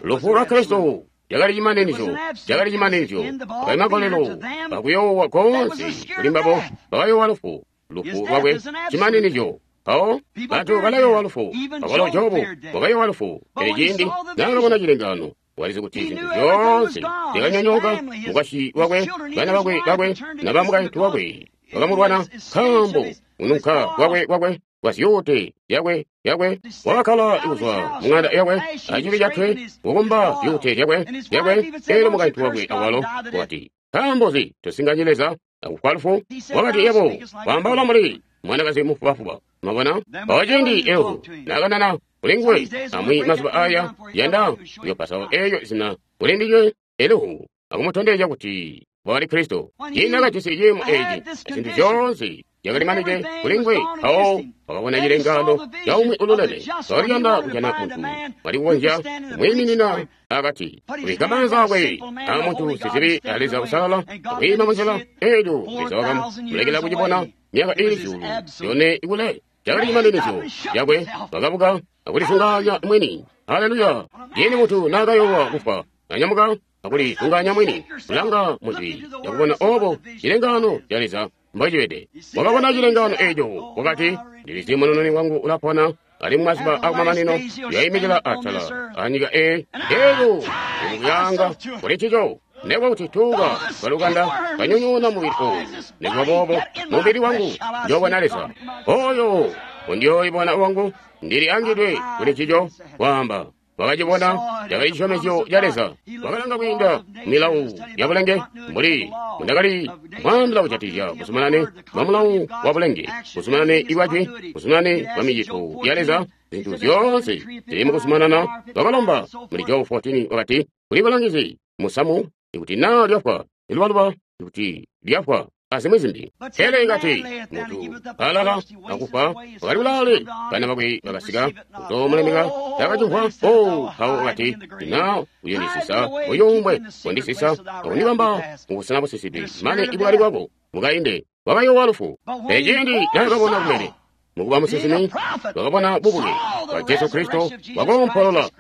Lufu lwa Kristo lyakali cimaninizyo, lyakali cimaninizyo. Akali makolelo akuyoowa koonse kuli mbabo bakayoowa lufu. Lufu lwakwe cimaninizyo. Mpawo bantu balayowa lufu. Awalo Jobu wakayowa lufu, pele ciindi naakabona cilengano walizi kuti zintu zyoonse zyakanyonyooka, mukwasyi wakwe, bana bakwe bakwe naba mukaintu wakwe bakamulwana, nkaambo kununka kwakwe kwakwe kwazyuute zyakwe yakwe. Wakakkala kuzwa muŋanda yakwe acibi cakwe, kukumba zyuute zyakwe zyakwe. Elyo mukaintu wakwe awalo wakati, nkaambo nzi tosinganye Leza akufwa lufu? Wakati, yebo waambaula mbuli mwanakazi mufubafuba. Mwabona? Mpawo ciindi Elihu naakanana kuli nguwe amwi mazuba aya, yanda kuyopasawo eeyo zina kuli ndinywe, Elihu akumutondezya kuti wakali Kristo. Ciindi naakajisi ciimo eeci, zintu zyoonse zyakalimanide kuli nguwe, mpawo wakabona cilengaano caumwi ululeme. Wakaliyanda kujana muntu wali kukonzya kumwiiminina akati, kubikka maanza akwe aamuntu sizibi a Leza usalala, akwiima munzila. Eelyo Leza wakamulekela kucibona myaka iili 4,000 kule. Cakali cimaninizyo cakwe. Wakabuka akulisunganya mwini. Haleluya! Ciindi muntu naakayoowa kufwa, nanyamuka akulisunganya mwini, kulanga mujwi yakubona obo cilengaano ca Leza mbocibede. Wakabona cilengaano eeco, wakati, ndilizi munununi wangu ulapona, alimwi mazuba akumamanino uyoimikila atala anyika eyi. Eelyo ndikuyanga kuli ncico. Nekuba kuti tuuka twalukanda kanyonyoona mubili ooyu, nekuba boobo mubili wangu njoobona Leza. Oyo undiyooibona wangu, ndili angidwe kuli ncico. Kwaamba Wakacibona cakali cisyomezyo ca Leza. Wakalanga kwiinda milawu ya bulenge mbuli mundakali kwaambila kujatikizya buzumanane bwa mulawu wa bulenge, buzumanane bwajwi, buzumanane bwa micito ya Leza, zintu zyoonse zili mukuzumanana. Wakalomba muli Jobu 14 wakati, kuli bulangizi musamu ikuti naa lyafwa ilubaluba, ikuti lyafwa azimwi zimbi. Pele ikati muntu alala akufa wakali kulaale, bana bakwe bakasika kuzomulemeka takacimvwa. O mpawo wakati, na uyondisisa uyumbwe kundisisa akundibamba mubusena busisidwe mane ibwali bwako mukainde. Wakayoowa lufu. Pele ciindi naakabona kumene mukuba musinsimi, wakabona bubuke bwa Jesu Kristo, wakoompolola,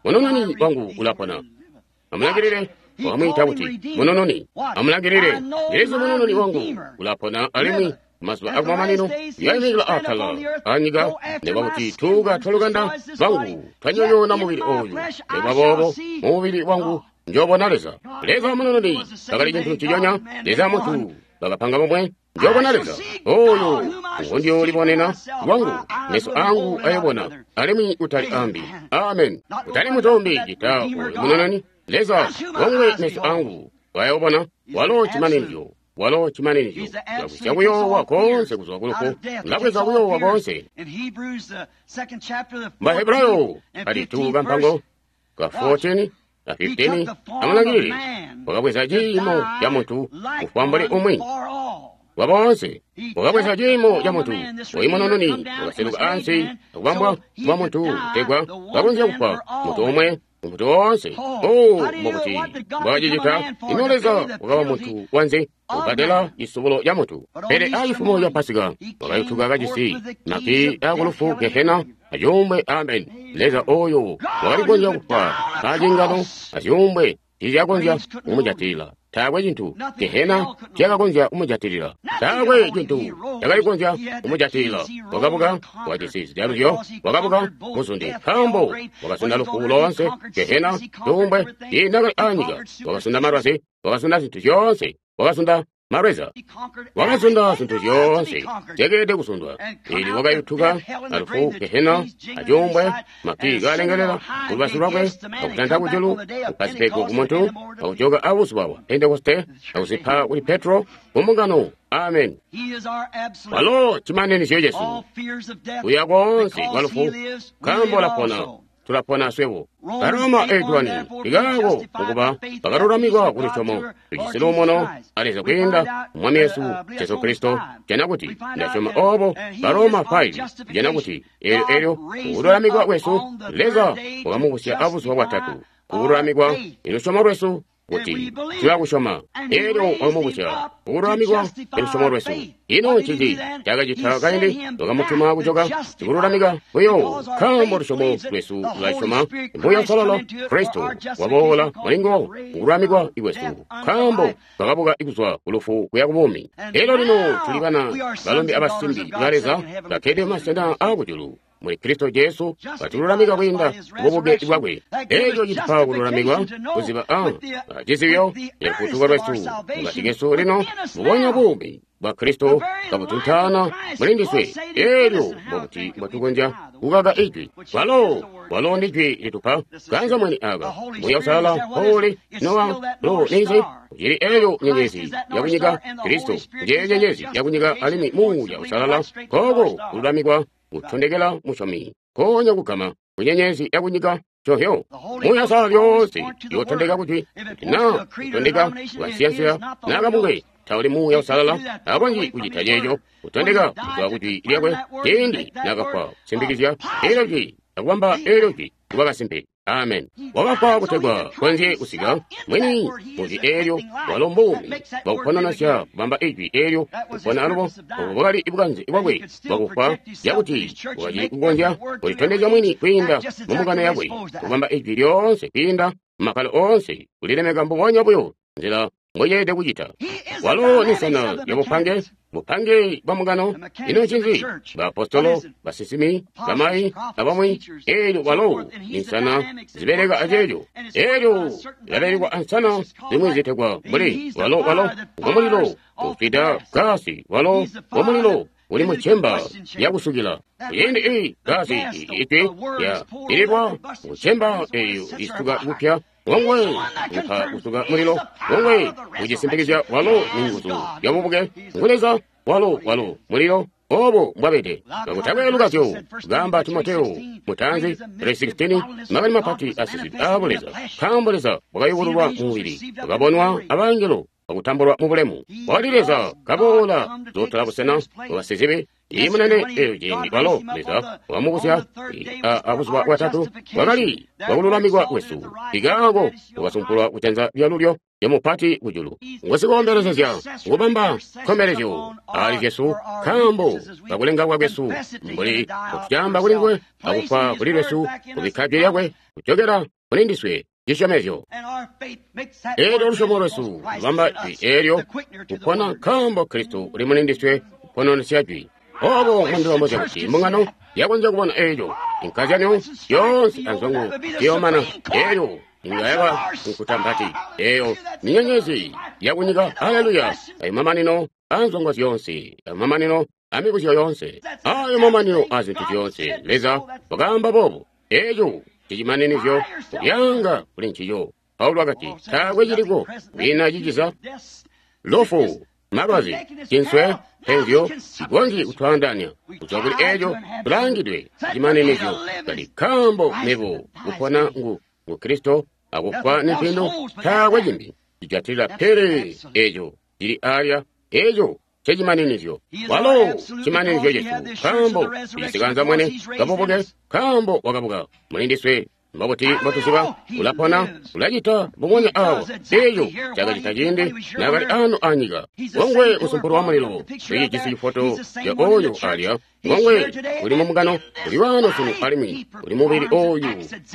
munununi wangu ulapona. Amulangilile, wakamwiita kuti munununi. Amulangilile, Yesu munununi wangu ulapona alimwi mazuba akumamanino yaimikila atala anyika, nekuba kuti tuuka twalukanda lwangu twanyonyoona mubili oyu, nekuba boobo mumubili wangu njoobona Leza. Leza munununi bakali cintu nciconya, Leza muntu bakapanga bomwe. Njoobona Leza oyo ngondiyoolibonena lwangu, meso angu ayobona, alimwi kutali ambi. Amen. Kutali mutombi cita oyo munununi. Leza wongwe meso angu wayobona, walo chimaninizyo, walo chimaninizyo lagwisya kuyoowa konse kuzwa kulufu, lagweza kuyoowa konse. Bahebrayo ali tu kampango ka 14 na 15, amulangilile, wakabweza ciimo ca muntu kufwa mbuli umwi wa boonse. Wakabweza ciimo ca muntu oyu munununi wakaseluka ansi akubambwa kuba muntu kutegwa kakonzya kufwa muntu omwe muntu woonse. O mukuti mbwakacicita, ino Leza wakaba muntu wanze kubbadela cisubulo ca muntu. Pele acifumo ca Pasika wakayutuka kajisi maki akulufu, gehena azyuumbwe. Amen. Leza oyo wakali kukonzya kufwa acingano azyuumbwe tiizyakonzya kumujatilila. Taakwe cintu gehena cakakonzya kumujatilila. Taakwe cintu cakali kukonzya kumujatilila. Wakabuka wajisi zijaluzyo, wakabuka muzundi, nkaambo wakasunda lufu loonse, gehena, cuumbwe, ciindi anyika. Wakasunda malwazi, wakasunda zintu zyoonse, wakasunda malweza, wakasunda zintu zyoonse zyakeelede kusundwa. Ili wakayutuka alufu, gehena, acuumbwe, maki kalengelela kulubazu lwakwe, akutanta kujulu, kupa zipego kumuntu, akujoka abuzuba bwa Pentekoste, akuzipa kuli Petro kumbungano. Amen. Walo chimaninizyo cesu kuya koonse kwa lufu, nkaambo ulapona, tulapona swebo. Baroma 8:1 likaako mukuba bakalulamikwa kulusyomo, tujisi luumuno a Leza kwiinda Mwami wesu Jesu Kristo. Jana kuti ndasyoma obo. Baroma 5 jana kuti eelyo eelyo kululamikwa kwesu, Leza wakamubusya abuzuba bwatatu. Kululamikwa ilusyomo lwesu kuti tulakusyoma. Eelyo wakamubusya kululamikwa ilusyomo lwesu. Ino ncinzi cakacita kaindi? Wakamutuma kujoka sikululamika buyo, nkaambo lusyomo lwesu lulasyoma Muuya Uusalala. Kristo waboola mulingo kululamikwa kwesu, nkaambo twakabuka kuzwa kulufu kuya kubuumi. Eelyo lino tuli bana balombe abasimbi ba Leza bakkede mumasena aakujulu muli Kristo Jesu, batululamika kwiinda kububuke bwakwe. Eeco citupa kululamikwa kuziba a cizibyo yalufutuko lwesu mukati kesu lino, mubonya buumi bwa Kristo kabutuntaana muli ndiswe. Eelyo mbokuti mbwetukonzya kukaka ijwi. Walo walo ndi jwi litupa kanza mwini aka Muuya Uusalala mpoli nowa lo ninzi cili eelyo nyenyezi yakunyika. Kristo nje nyenyezi yakunyika, alimwi Muuya Uusalala koko kululamikwa kutondekela musyomi konya kugama kunyenyezi yakunyika cohyo. Muuya Uusalala lyoonse yotondeka kuti kuti na kutondeka kukansiyansiya nakabungwe tauli Muuya Uusalala, akonzyi kucita ceeco. Kutondeka kuzwa kujwi lyakwe ciindi nakafwa kusimbikizya eelyo jwi akubamba eelyo jwi kuba kasimpe. Amen. Wakafwa kutegwa konzye kusika mwini mujwi eelyo, walo mbuumi bwakuponanasya kubamba ijwi eelyo kupona alubo. Obo bwakali bukanze bwakwe bwakufwa, yakuti wakacili kukonzya kulitondezya mwini kwiinda mumbungano yakwe, kubamba ijwi lyoonse kwiinda mumakkalo oonse, kulilemeka mbubonya buyo nzila mbweelede kucita. Walo ni nsana yabupange, bupange bwa mbungano. Ino ncinzi? Baapostolo, basinsimi, bamayi, abamwi. Eelyo walo ni nsana zibeleka aceeco. Eelyo zilabelekwa ansana zimwi zitegwa mbuli walo walo ngomulilo ufwida gasi, walo ngomulilo uli mu cemba lyakusukila. Kuciindi i gaasi ijwi lya ililwa mu cemba eyo isuka kupya, ngongwe upa kusuka mulilo, ngongwe ucisimpikizya walo ni nguzu ya bubuke, ngu Leza, walo walo mulilo. Obo mbwabede. Kakutakwe lukazyo, gamba Timoteo, mutanzi 3:16, makani mapati asizidwe abo Leza. Nkaambo Leza wakayubululwa mu mubili, wakabonwa abangelo, wakutambulwa mu bulemu. Wali Leza kaboola zotola busena bwabasizibi, imunene eyo ciindi walo Leza wakamubusya abuzuba bwatatu, bwakali bwakululamikwa kwesu. Ikaako wakasumpulwa kujanza lyalulyo lyamupati kujulu. Ngusikombelezezya ngubamba nkombelezyo ali Jesu, nkaambo kakulenga kwesu mbuli kutyamba kuli nguwe akufwa kuli lwesu, kubikka jwi lyakwe kujokera kuli ndiswe cisyomezyo. Eelyo lusyomo lwesu lubamba jwi eelyo kupona, nkaambo Kristo uli muli ndiswe kupononesya jwi. Obo mundilombozya kuti mbungano yakonzya kubona eeco inkazyanyo yoonse anzongo ziyomana eelyo inga yaba nkuta mpati eyo ninyenyezi yakunyika. Haleluya! Ayo mamanino anzongo zyoonse, ayo mamanino amibuzyo yoonse, ayo mamanino a zintu zyoonse. Leza wakaamba boobo, eeco cicimaninizyo kubyanga kuli ncico. Paulo wakati taakwe ciliko kwina ciciza lufu, malwazi, cinswe, penzyo, cikonzyi kutwaandaanya kuzwa kuli eeco tulangidwe cimaninizyo. Kali nkaambo mebo kupona ngu Kristo akufwa ni mpindu, taakwe cimbi cijatilila pele eeco cili alya, eeco cecimaninizyo. Walo cimaninizyo cesu, nkaambo icikanza mwene kabubuke, nkaambo wakabuka muli ndiswe. Mbobuti mbotuziba ulapona, ulacita mbubonya awo eeco cakacita ciindi naakali ano anyika. Ngongwe usumpulu wa mulilo ulijisi cifoto ca oyo alya, ngongwe uli mumugano, uli wano sunu alimwi uli mubili oyu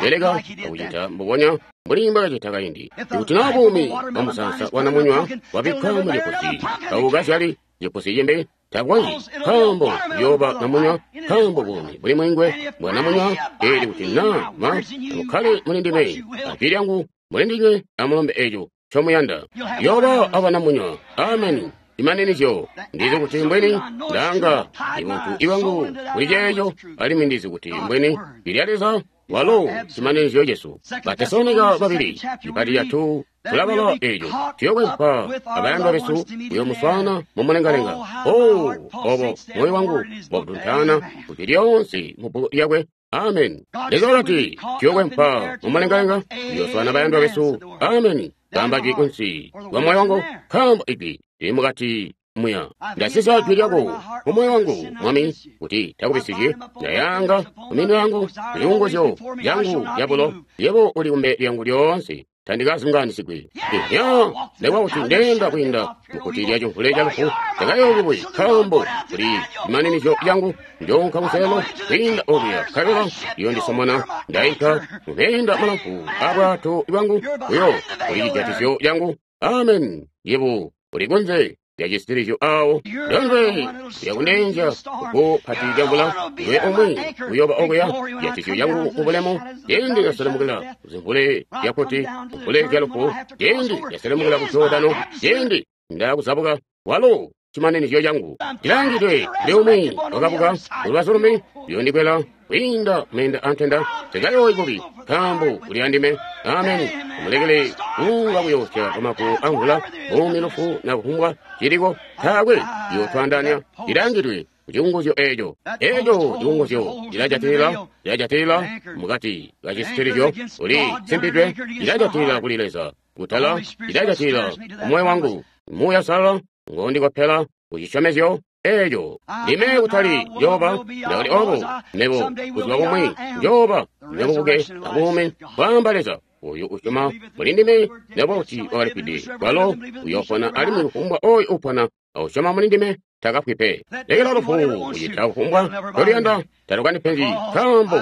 beleka akucita mbubonya mbuli mbwakacita kaindi. Ikuti naa buumi bwa musaansa wa namunywa wabikka mu cipusi, taukazyali cipusi cimbi, takonzyi, nkaambo uyooba namunywa, nkaambo buumi buli mwingwe bwa namunywa. Eli kuti naa ma amukkale muli ndime, ajwi lyangu muli ndinywe, amulombe eeco ncomuyanda, uyooba aba namunywa. Ameni. Imaninizyo ndizi kuti mbweni ndanga ibuntu iwangu kuli ceeco, alimwi ndizi kuti mbweni lilya Leza walo cimaninizyo cesu. Batesalonika babili ipati yatu tulabala eeco tuyokwempwa abayandwa besu kuyomuswaana mumulengalenga. O obo moyo wangu wakutuntaana kuti lyoonse mu bbuku lyakwe. Amen. Leza wakati tuyokwempwa mumulengalenga kuyoswaana bayandwa besu. Amen. Kamba jwi kunsi kwa moyo wangu, nkaambo ijwi lili mukati muya. Ndasisa jwi lyako mu moyo wangu, Mwami, kuti takubisizye. Ndayanga kuminwe yangu zilunguzyo lyangu lyabulo, yebo uli kumbe lyangu lyoonse, tandikazunganisigwi. Iya, ndekwa kuti ndenda kwiinda mukuti lya cimvule ca lufu, ndakayoobuwe, nkaambo kuli imaninizyo lyangu. Njoonka kuselo kwiinda okuya, nkabela liyondisomona. Ndainka mumeenda malamfu abwato bwangu, uyo uli cijatizyo lyangu. Amen. Yebo uli kunze lya cisitilizyo awo ndondwe lyakundenja kupo pati lyamvula, iwe omwe uyoba okuya jatizyo lyangu mubulemu. Ciindi lyaselemukila kuzimvule lyakuti mvule lyalufu, ciindi lyaselemukila ku Jordano, ciindi ndakuzabuka, walo cimaninizyo cangu ndilangidwe kuli umwi wakabuka kulubazu lumbi, uyondikwela kwiinda meenda antenda, tekayooyi bubi, nkaambo uli andime. Ameni. Amulekele kunga kuyoosya kwamagulu amvula, buumi, lufu, na kufumbwa ciliko, taakwe ciyotwaandaanya. Ndilangidwe kucikunguzyo eeco. Eeco cikunguzyo cilajatilila, cilajatilila mukati kacisitilizyo, uli simpidwe, cilajatilila kuli Leza kutala, cilajatilila kumoyo wangu. Muuya Uusalala ngondikopela kucisyomezyo eeco. Ndime kutali njooba, ndakali obo mebo buzuba bumwi njooba nebubuke abuumi, kwaamba Leza. Oyu usyoma muli ndime, nekuba kuti wakalifwide, kwalo uyoopona, alimwi kufumbwa oyu upona ausyoma muli ndime takafwi pe. Lekela lufu kucita kufumbwa ncoluyanda, talukandipenzi, nkaambo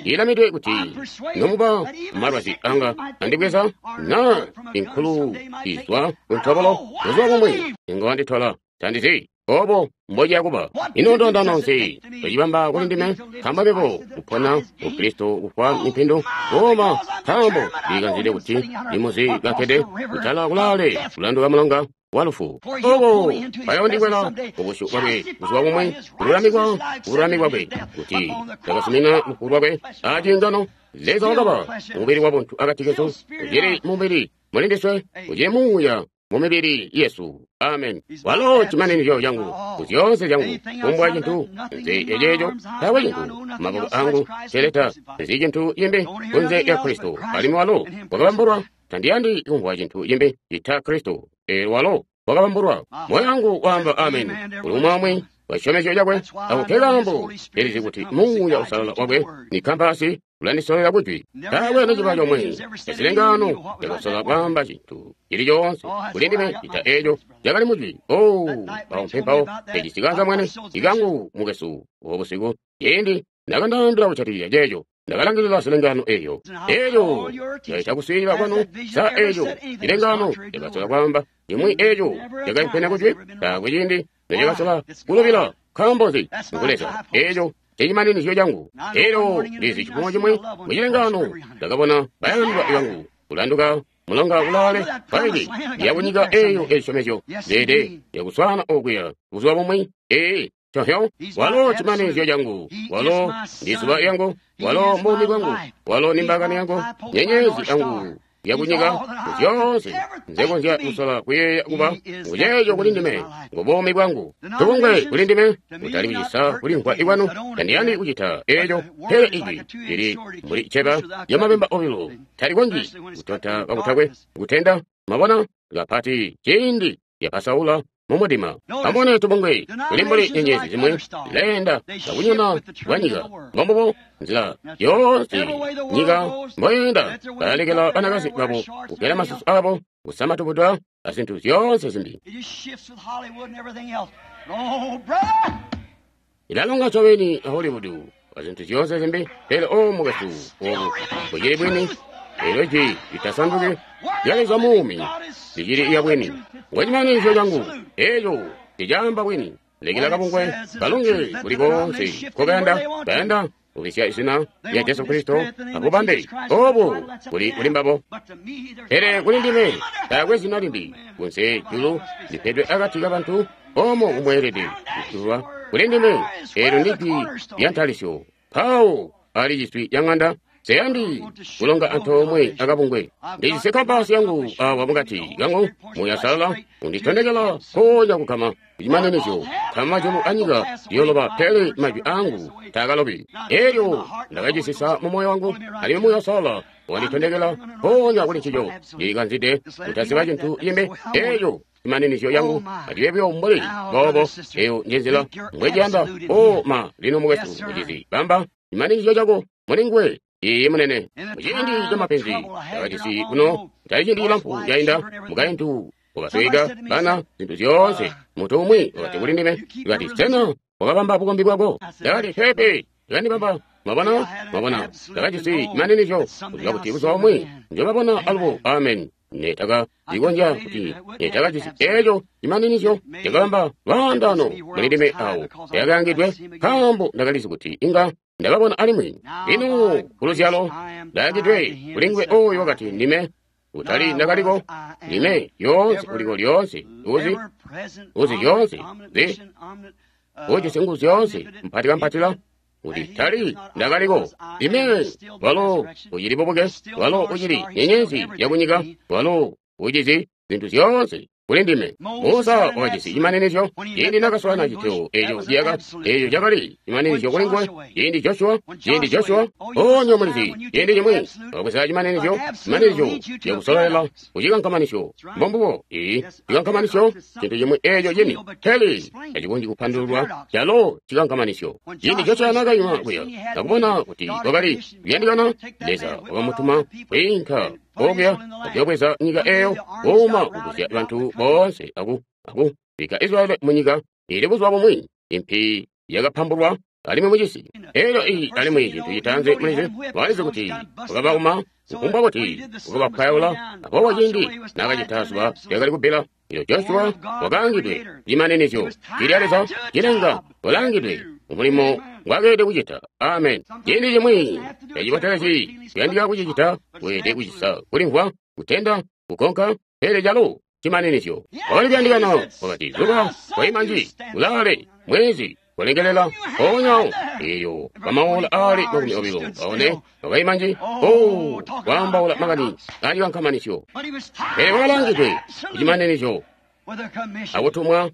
ilamidwe kuti nomuba malwazi anga andibweza, na inkulu izwa kuntobolo, buzuba bumwi inga wanditola, tandizi obo mbociya kuba. Ino ndondano nzi ecibamba kuli ndime? Nkaambo mebo kupona ku Kristo kufwa nimpindu, koma nkaambo ndikanzide kuti ndimuzi kakkede kutala kulaale kulanduka mulonga. wa lufu. Obo bayondikwela kubusyu bwakwe buzuba bumwe, kululamikwa kubululami bwakwe, kuti ndakazumina lufu lwakwe aciingano. Leza wakaba mubili wa buntu akati kesu, ucili mubili mulindiswe, ucili muuya mu mibili yesu. Amen. Walo chimaninizyo changu kuzyoonse zyangu, kumbwa cintu nze eceeco taakwe cintu maboko angu celeta nzi cintu cimbi kunze lya Kristo, alimwi walo wakabambulwa. Tandiyandi kumvwa cintu cimbi cita Kristo. Walo wakabambulwa. Moyo wangu waamba amen kuli umwi wa cisyomezyo cakwe. Ako ke kaambo ndilizi kuti Muuya Uusalala wakwe ni kampasi ulandisolera kujwi. Taakwe neciba comwe cazilengaano cakasola kwaamba cintu cili coonse kuli ndime cita eeco cakali mujwi. O mpawo mpempawo eci cikanza mwene ikangu mukesu obo busiku ciindi nakandaambila kujatikizya ceeco. Ndakalangilila zilengaano eeyo. Eeco caita kuswiilila kwanu. Sa eeco cilengaano cakasola kwaamba cimwi eeco cakaimpene kujwi? Taakwe ciindi necakasola kulubila. Nkaambo nzi? Ngu Leza. Eeco cecimaninizyo cangu. Elyo ndizi cifumo cimwe mucilengaano ndakabona bayandwa bangu kulanduka mulonga kulaale paili yakunyika eeyo ezisyomezyo zede yakuswaana okuya buzuba bumwi. Ee, cohyo walo cimaninizyo cangu, walo ndi zuba yangu, walo mbuumi bwangu, walo ni mbakani yangu, nyenyezi yangu yakunyika. Zyoonse nzekonzya kusola kuyeeya kuba nguceeco kuli ndime, ngu buumi bwangu. Tubungwe kuli ndime kutali kucisa kulimvwa ikwanu. Tandiyandi kucita eeco, pele ijwi lili mbuli cceba lyamabemba obilo, talikonzyi kutonta kakutakwe kutenda. Mwabona, kapati ciindi lyapasaula mumudima. Amubone tubungwe kuli mbuli nyenyezi zimwi zileenda kakunyona bwa nyika. Mbombubo nzila yoonse nyika mboyeenda, balalekela banakazi babo kugela masusu abo, kusama tubudwa azintu zyoonse zimbi. Ilalonga ncobeni a Hollywood azintu zyoonse zimbi, pele o mukwesu, obu bucili bwini. Elyo jwi litasanduki lya Leza muumi licili iya bwini. Ngwecimaninizyo cangu eeco ticaamba bwini. Lekela kabungwe kalunge kuli koonse nkokayanda, bayanda kubisya izina lya Jesu Kristo abubambe obu kuli kuli mbabo. Pele kuli ndime taakwe zina limbi kunze julu lipedwe akati kabantu omo kumweelede kutulwa. Kuli ndime eelyo ndi jwi lya ntalisyo. Mpawo ali ciswi ca ŋanda seyandi kulonga antoomwe akabungwe. Ndijisi kampasi yangu awa mukati kangu, Muuya Uusalala unditondekela nkoonya kugama kucimaninizyo. Kama majulu anyika ziyoloba, pele majwi angu taakalobi. Elyo ndakacisisa mu moyo wangu, alimwi Muuya Uusalala wanditondekela nkoonya kuli ncico. Ndilikanzide kutaziba cintu cimbi. Elyo cimaninizyo yangu acibe buyo mbuli boobo. Eyo njenzila mbweciyanda. O ma, lino mukwesu mucizi, bamba cimaninizyo cako mulinguwe. Iye munene, muciindi ca mapenzi ndakajisi kuno, kutali ciindi cilamfu cainda, mukaintu wakasweka bana zintu zyoonse. Muntu umwi wakati kuli ndime, wakati, sena wakabamba bukombi bwako? Ndakati, peepe, ndakandibamba. Mwabona, mwabona, ndakajisi cimaninizyo kuziba kuti buzuba bumwi njobabona alubo. Amen. Netaka cikonzya kuti netakajisi eeco cimaninizyo cakabamba lwaandaano muli ndime awo yakaangidwe, nkaambo ndakalizi kuti inga ndababona alimwi. Lino kuluzyalo ndaakidwe kuli nguwe oyo wakati ndime, kutali ndakaliko, ndime lyoonse uliko lyoonse, uzi uzi zyoonse, zi ujisi nguzu zyoonse, mpati kampatila, kuti tali ndakaliko, ndime. Walo ucili bubuke, walo ucili nyenyezi yakunyika, walo ucizi zintu zyoonse kuli ndime. Musa wakajisi cimaninizyo ciindi nakaswaana citeo eeco ciyaka, eeco cakali cimaninizyo kuli nguwe. Ciindi Joshua, ciindi Joshua, onyo mulizi, ciindi cimwi wakabweza cimaninizyo, cimaninizyo cakusololela kucikankamanisyo. Mbombubo, ii cikankamanisyo cintu cimwi eeco cini pele tacikonzyi kupandululwa, calo cikankamanisyo. Ciindi Joshua nakayima kuya nakubona kuti kwakali kuyandikana, Leza wakamutuma kwiinka okuya akuyobweza nyika eeyo, kuuma kugusya bantu boonse aku bikka Israyeli munyika ili buzuba bumwi. Impi yakapambulwa alimwi mucisi elyo iyi alimwi cintu citaanzi mulizi walizi kuti wakabauma kufumbwa kuti wakabapwayaula. Aboobo ciindi nakacita zuba lyakali kubbila, elyo Joshua wakaangidwe cimaninizyo cilya Leza cilenga, walaangidwe mumulimo ngwakeelede kucita. Amen. Ciindi cimwi tacibotelezi kuyandika kucicita, weelede kucisa kulimvwa, kutenda, kukonka, pele calo cimaninizyo. Wakali kuyandikana. Wakati, zuba waima nji, ulaale, mwezi kulengelela mpoonya eyo pamaola ali 24 wakaima nji. O, kwaambaula makani acikankamanizyo. Pele wakalangidwe kucimaninizyo akutumwa.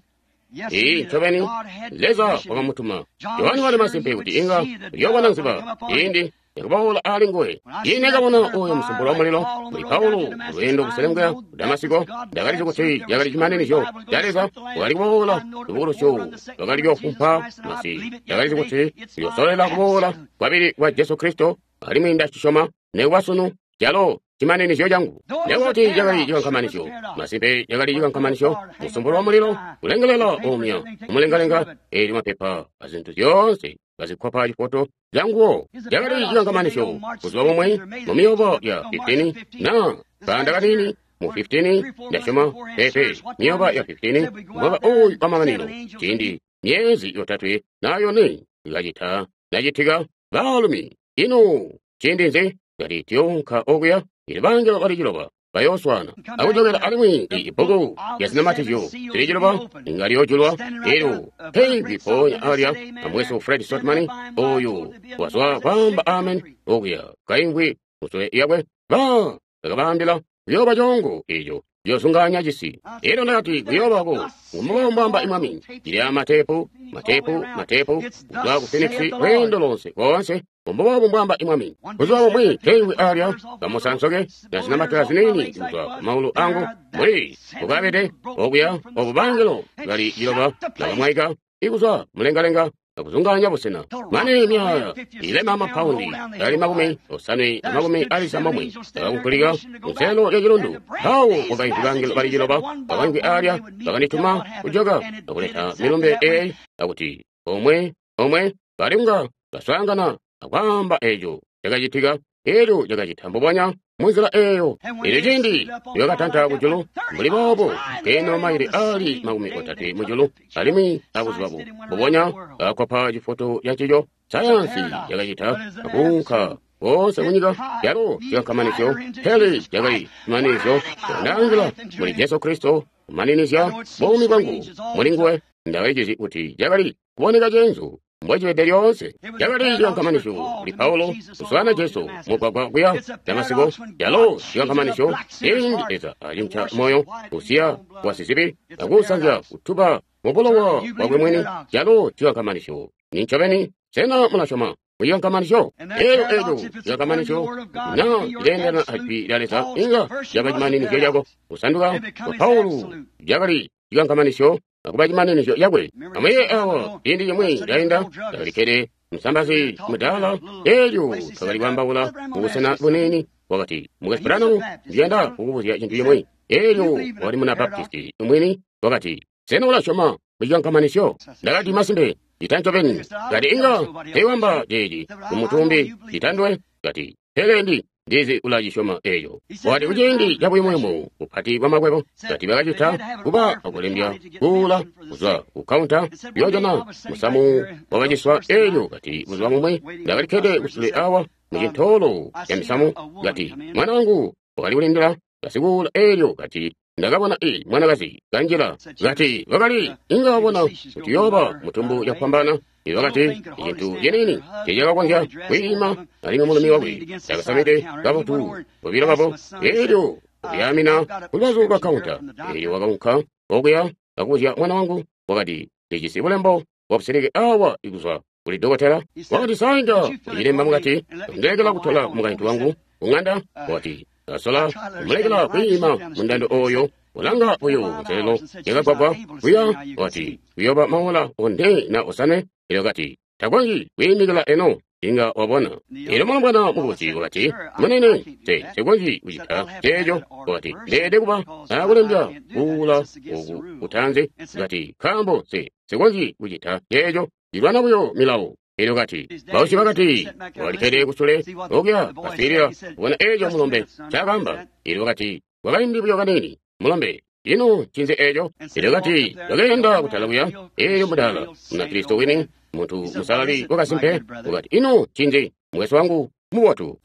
Ee, ncobeni Leza wakamutuma. Yohane wali masimpe kuti inga uyoobona nziba ciindi yakuboola ali nguwe. Ine kabona uyo musumpulo wa mulilo kuli Paulo lweendo kuselemukira ku Damasiko, ndakalizi kuti yakali cimaninizyo ca Leza wakali kuboola lubukulusyo lwakali kuyofumpa masi. Ndakalizi kuti uyosolela kuboola kwabili kwa Jesu Kristo, alimwi ndacisyoma nekuba sunu calo cimaninizyo cangu. Nekuba kuti cakali cikankamanisyo, masimpe cakali cikankamanisyo, musumpulo wa mulilo kulengelela omya umulengalenga, eelyo mapepa azintu zyoonse bazikkopa cifoto canguwo. Cakali cikankamanisyo. Buzuba bumwe mu miyoba ya 15 na kanda kanini mu 15 ndasyoma pepe miyoba ya 15 mwaka uyu wa mamanino, ciindi myezi 3 na 4 ikacita nacitika baalumi ino ciindi nzi kati tiyonka okuya ili bangelo bali 9 bayooswana akujokela alimwi ibbuku lya zinamatizyo zili 9 inga liyoojulwa. Elyo peigwi mpoonya alya amwesu Fred Sotman oyu wazwa kwaamba amen okuya kaingwi musule yakwe ba bakabaambila kuyooba coongo eco ciyosunganya cisi. Elyo ndakati kuyoobako ngumubambamba imwami cili amatepu matepu matepu kuzwa ku Phoenix lweendo lonse konse umbubobu mbwamba imwami. Buzuba bumwi keingwi alya kamusansoke na zinamatira zinini kuzwa ku maulu angu mbuli bukabede okuya obu bangelo bali 9 nakamwaika ikuzwa mulengalenga akuzunganya busena mane myaya ilema amapaundi ali 56 akakukulika kunselo lya chilundu. Mpawo kwakaimvwi bangelo bali 9 bakaimvwi alya bakandituma kujoka akuleta milumbe eyi akuti omwe omwe balinga baswaangana akwaamba eco cakacitika. Elyo cakacita mbubonya munzila eyo. Elyo ciindi lyakatanta kujulu mbuli boobo keno maili ali 30 mujulu, alimwi abuzuba mbubonya akkopa cifoto cancico. Sayansi yakacita akuunka koonse kunyika yalo cikankamanisyo, pele cakali cimaninizyo. Ndaangila muli Jesu Kristo kumaninizya buumi bwangu muli nguwe. Ndakalizizi kuti cakali kuboneka ceenzu mbwecibede lyoonse. Cakali cikankamanisyo kuli Paulo kuswaana Jesu mugwagwa kuya Damasiko. Calo cikankamanisyo ciindi Leza acinca moyo kusiya wasizibi akuusanzya kutuba mubulowa bwakwe mwini. Calo cikankamanisyo nincobeni. Sena mulasyoma mucikankamanisyo? Elyo eco cikankamanisyo na cileendelana ajwi lya Leza inga caba cimaninizyo cako. Kusanduka kwa Paulo cakali cikankamanisyo akuba cimaninizyo cakwe. Amwiye awa ciindi cimwi cainda ndakalikkede musambazi mudaala, elyo twakali kwaambaula mubusena buniini. Wakati, Mukwesu Branham, ndiyanda kukubuzya cintu cimwi. Elyo wakali muna Baptisti mwini. Wakati, sena ulasyoma mucikankamanisyo? Ndakati, masimpe cita ncobeni. Kati, inga teiwamba ceeci kumutumbi citandwe. Kati, pele ndizi ulacisyoma eco. Wakati, kuciindi cabuyumuyumu bupati bwa makwebo, kati bakacita kuba akulembya kuula kuzwa ku kaunta yoojana musamu wakaciswa. Elyo kati, buzuba bumwe ndakalikkede kusule awa mucintoolo ca misamu. Kati, mwana wangu wakali kulindila basikuula. Elyo kati, ndakabona i mwanakazi kanjila. Kati, wakali inga wabona kuti yooba mutumbu yakupambana. Elyo wakati, icintu cinini cecakakonzya kwiima, alimwi mulumi wakwe takasamide kabotu bobilo babo. Elyo kuyaamina kulubazu lwa kaunta. Elyo wakaunka okuya akubuzya mwana wangu. Wakati, ndijisi bulembo bwabusilike awa ikuzwa kuli dokotela. Wakati, sainga kucilemba mukati akundilekela kutola mukaintu wangu kung'anda. Wakati, kasola kumulekela kwiima mundando oyo ulanga buyo nselelo yakagwagwa kuya. Wakati, kuyoba maola 4 na 5. Elyo kati, takonzyi kwiimikila eno inga wabona. Elyo mulombwana mukubusi wakati, munene, nsikonzyi kucita ceeco. Wakati, ndeede kuba akulembya kuula oku kutanze. Kati, nkaambo nsikonzyi kucita ceeco, ndilwana buyo milawo. Elyo kati, bausyi bakati, wakalikkede kusule okuya kaswiilila kubona eco mulombe ncaakaamba. Elyo wakati, kwakaindi buyo kaniini, mulombe, ino ncinzi eco? Elyo kati, bakeenda kutala kuya. Elyo mudaala Munakristo wini, muntu musalali wakasimpe, wakati, ino ncinzi, mukwesu wangu mubotu?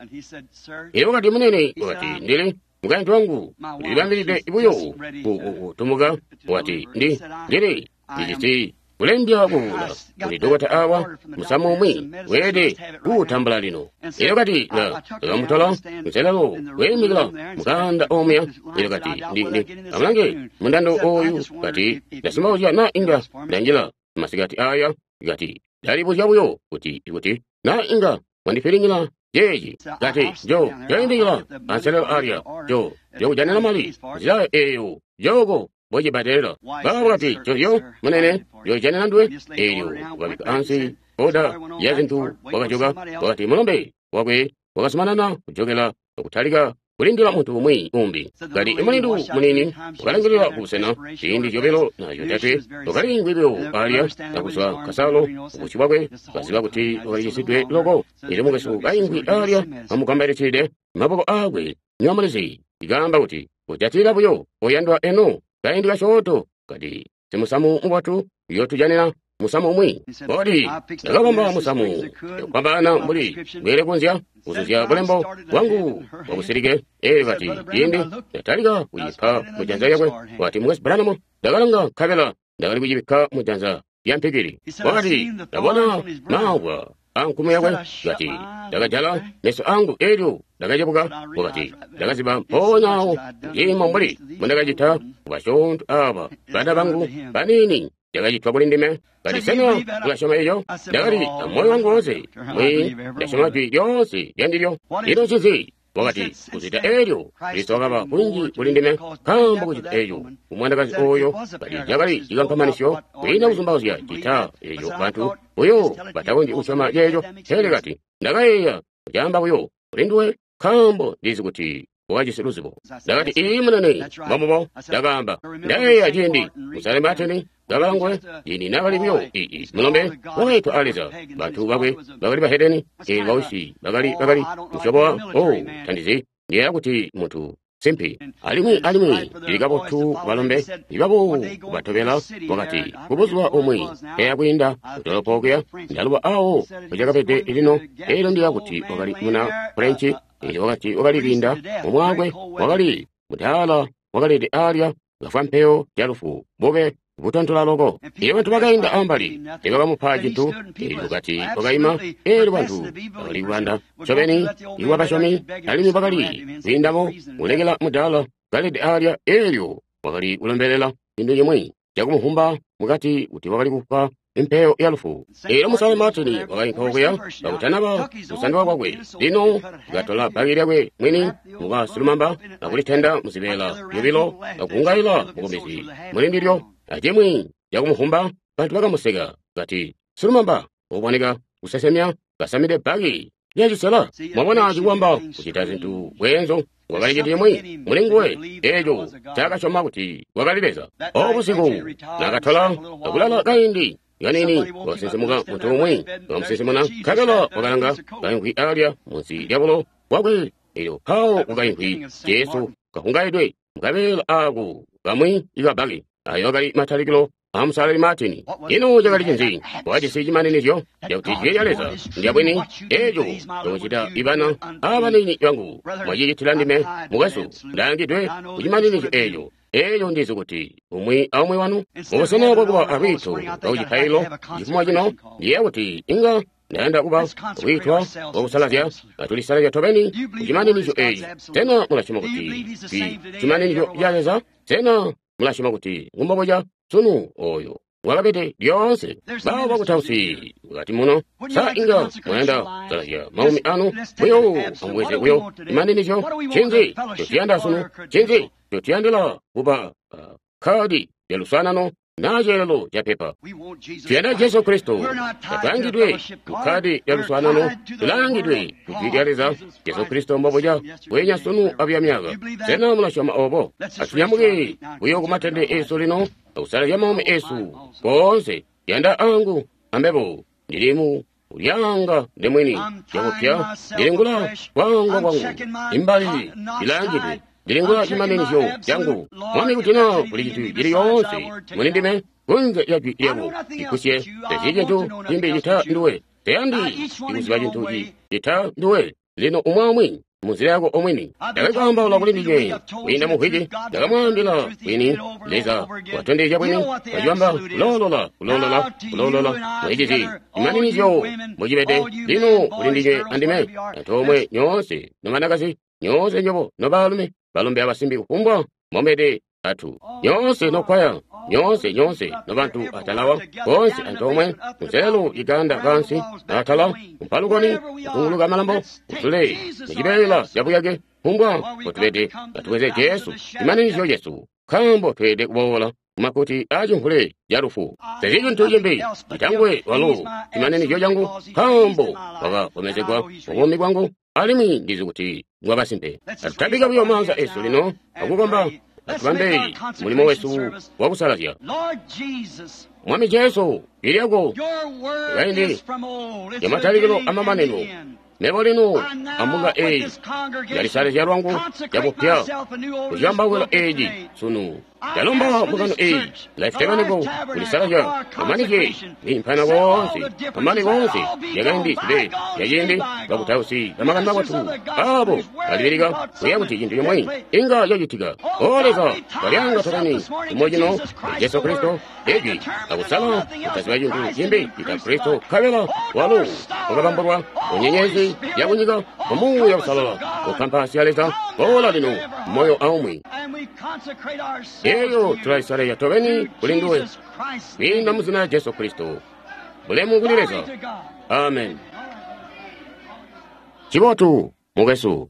Elyo wakati, munene, wakati, ndili Mukaintu wangu ulibambilide buyo kutumuka. Wati, ndili ndijisi kulembya kuvula kuli dokota awa musamu umwi weelede kuutambula lino. Elyo kati ndakamutola nselelo kwiimikila mukanda omuya. Elyo kati amulange mundando oyu. Kati ndasimbauzya na inga ndanjila masikati aya. Kati ndalibuzya buyo kuti ikuti na inga mwandifiringila jeeji. Kati njoindikila anselelo alya njokujanina mali nzila eyo joko bocibbadelela. Babo kati cozyo munene njojanina nduwe. Elyo wakabika ansi oda ya zintu, wakajoka. Wakati mulombe wakwe wakazumanana kujokela akutalika kulindila muntu umwi umbi. Kati imulindu munini wakalangilila kubusena ziindi zyobilo na zyotatwe, wakaliingwi buyo alya akuzwa kasalo ubusyu bwakwe, kaziba kuti wakalicisidwe loko. Elyo mukwesu kaingwi alya amugambalikide maboko akwe nyomulizi ikaamba kuti kujatilila buyo oyandwa eno kaindi kasyoonto. Kati simusamu mubotu uyotujanina musamu umwi. Kodi ndakabamba musamu kwambana mbuli bwele kunzya kuzuzya bulembo bwangu bwabusilike. Elyo kati ciindi ndatalika kucipa mujanza lyakwe, wati mukwesu Branham, ndakalanga nkabela ndakali kucibikka mujanza lya mpikili. Wakati ndabona maabwa ankumu yakwe. Kati ndakajala meso angu elyo ndakacebuka. Wakati ndakaziba mpoonya awo kuciimo mbuli mbundakacita kubasyoonto aba bana bangu banini yakacitwa kuli ndime. Kati sena ulasyoma eco? Ndakati amoyo wangu wonse mwi ndasyoma jwi lyoonse lyandilyo. Ino ncinzi? Wakati kuzita elyo Kristo wakaba kunji kuli ndime nkaambo kucita eco umwanakazi oyo. Kati cakali cikankamanisyo kwiina kuzumbauzya cita eco bantu buyo batakonzyi kusyoma ceeco. Pele kati ndakayeeya kucaamba buyo kuli nduwe nkaambo ndizi kuti wakajisi luzibo. Ndakati ii munene, mbomubo. Ndakaamba ndayeeya ciindi musale Martin ngakalangwe ciindi nakali buyo ii mulombe wakaitwa a Leza. Bantu bakwe bakali bahedeni, eelyo bawisi bakali musyobo wa tandizi ndiyeeya kuti muntu simpi. Alimwi cili kabotu balombe ibabo kubatobela. Wakati kubuzuba umwi eya kwiinda kudolopo okuya ndaluba awo pecakabede lino. Elyo ndiya kuti wakali muna French. Elyo wakati wakali kwiinda mumwaakwe wakali mudaala wakalede alya kafwa mpeyo ya lufu bube butontola loko. Elyo bantu bakainda ambali tebakamupa cintu. Elyo kati wakaima. Elyo bantu bakali kubanda ncobeni iwabasyomi alimwi bakali kwiindamo kulekela mudaala kalede alya. Elyo wakali kulombelela cintu cimwi cakumuhumba mukati kuti wakali kufwa impeyo ya lufu. Elyo musale Martin wakainka okuya kakutanaba kusanduka kwakwe. Lino katola bhaki lyakwe mwini mukasilumamba akulitenda muzibeela zyobilo akungaila mukomezi mulindilyo acimwi cakumuhumba. Bantu bakamuseka kati silumamba uboneka kusesemya kasamide bhaki lyacisela. Mwabona cikuwamba kucita zintu bweenzo. Wakali cintu cimwi muli nguwe eco cakasyoma kuti wakali Leza. Obusiku nakatola akulala kaindi kanini, wakasinsimuka muntu umwi wakamusinsimuna, nkabela wakalanga kaimvwi alya munsi lyabulo bwakwe. Elyo mpawo wakaimvwi Jesu kahungaidwe mukabeela ako kamwi ikabaki. Ayo akali matalikilo amusalali Martin. Ino cakali cinzi? Wajisi cimaninizyo cakuti jwi lya Leza ndyabwini. Eco ncomucita ibana abanini bangu mwacicitila ndime. Mukwesu, ndaangidwe kucimaninizyo eco. Elyo ndizi kuti umwi aumwi wanu mubusena bwakuba alwiito lwakucipailo cifumo cino, ndiyeeya kuti inga ndayanda kuba lwiitwa lwakusalazya atulisalazya tobeni kucimaninizyo eci. Sena mulasyoma kuti cimaninizyo ca Leza? Sena mulasyoma kuti ngumbobuca sunu oyo wakabede lyoonse? Baabo bakutausi mukati muno, sa inga mwayanda kusalazya maumi anu buyo amubweze buyo cimaninizyo? Ncinzi ncotuyanda sunu? Ncinzi ncotuyandila kuba kadi lya luswaanano na ceelelo ca pepa? Tuyanda Jesu Kristo. Tatwaangidwe kukkadi lya luswaanano, tulaangidwe ku jwi lya Leza. Jesu Kristo mbobuca bwenya sunu abuya myaka. Sena mulasyoma obo? Atunyamuke buyo kumatende esu lino akusalazya maumi esu koonse. Yanda angu ambebo ndilimu ulyanga ndemwini cakupya ndilingula kwangwa kwangu imbali ilaangidwe ndilingula cimaninizyo cangu. Mwami, kuti na kuli cintu cili yoonse muli ndime kunze lya jwi lyako, ikusye tezyi cintu cimbi cita nduwe. Teyandi ikuziba cintu cita nduwe. Lino umwi aumwi munzila yako omwini. Ndakali kwaambaula kuli ndinywe kwiinda mu mvwiki, ndakamwaambila bwini, Leza watondezya bwini, wacibamba kuloolola, kuloolola, kuloolola, mwicizi cimaninizyo mbocibede. Lino kuli ndinywe andime, antoomwe nyoonse nobanakazi, nyoonse nyobo nobaalumi, balombe abasimbi kufumbwa mbomubede atu. Nyoonse nokwaya, nyoonse nyoonse nobantu atalawa, bonse antoomwe, kunselelo iganda kansi, atala, kumpalukoni, kuzunguluka malambo, kusule, mucibeela cabuyake, kufumbwa mbotubede, atubweze Jesu, cimaninizyo cesu, nkaambo tweelede kuboola kumakuti aacimvule ca lufu. Tacili cintu cimbi citangwe walo cimaninizyo cangu, nkaambo wakakomezegwa mubuumi bwangu, alimwi ndizi kuti ngwakasimpe. Atutambike buyo maanza esu lino akukomba, atubambe mulimo wesu wakusalazya. Mwami Jesu, jwi lyako kaindi lyamatalikilo amamanino, mebo lino ambunga eyi ndalisalazya lwangu cabupya kuciyambawula eeci sunu. Ndalomba mbungano eyi Life Tabernacle kulisalazya amanike kwiimpana koonse, amane koonse lyakaindi zibe lyaciindi, bakutausi bamakani mabotu aabo balibilika kuyeeya kuti cintu cimwi inga cacitika. O Leza, twalyanga tobeni cimo cino kuli Jesu Kristo ijwi akusala kutaziba cintu cimbi cita Kristo, nkabela walo wakabambulwa ku nyenyezi yakunyika ku Muuya Uusalala ku kampasi ya Leza. Boola lino moyo aumwi. Elyo tulalisalazya tobeni kuli nduwe kwiinda mu zina lya Jesu Kristo. Bulemu kuli Leza. Amen. Cibotu, mukwesu.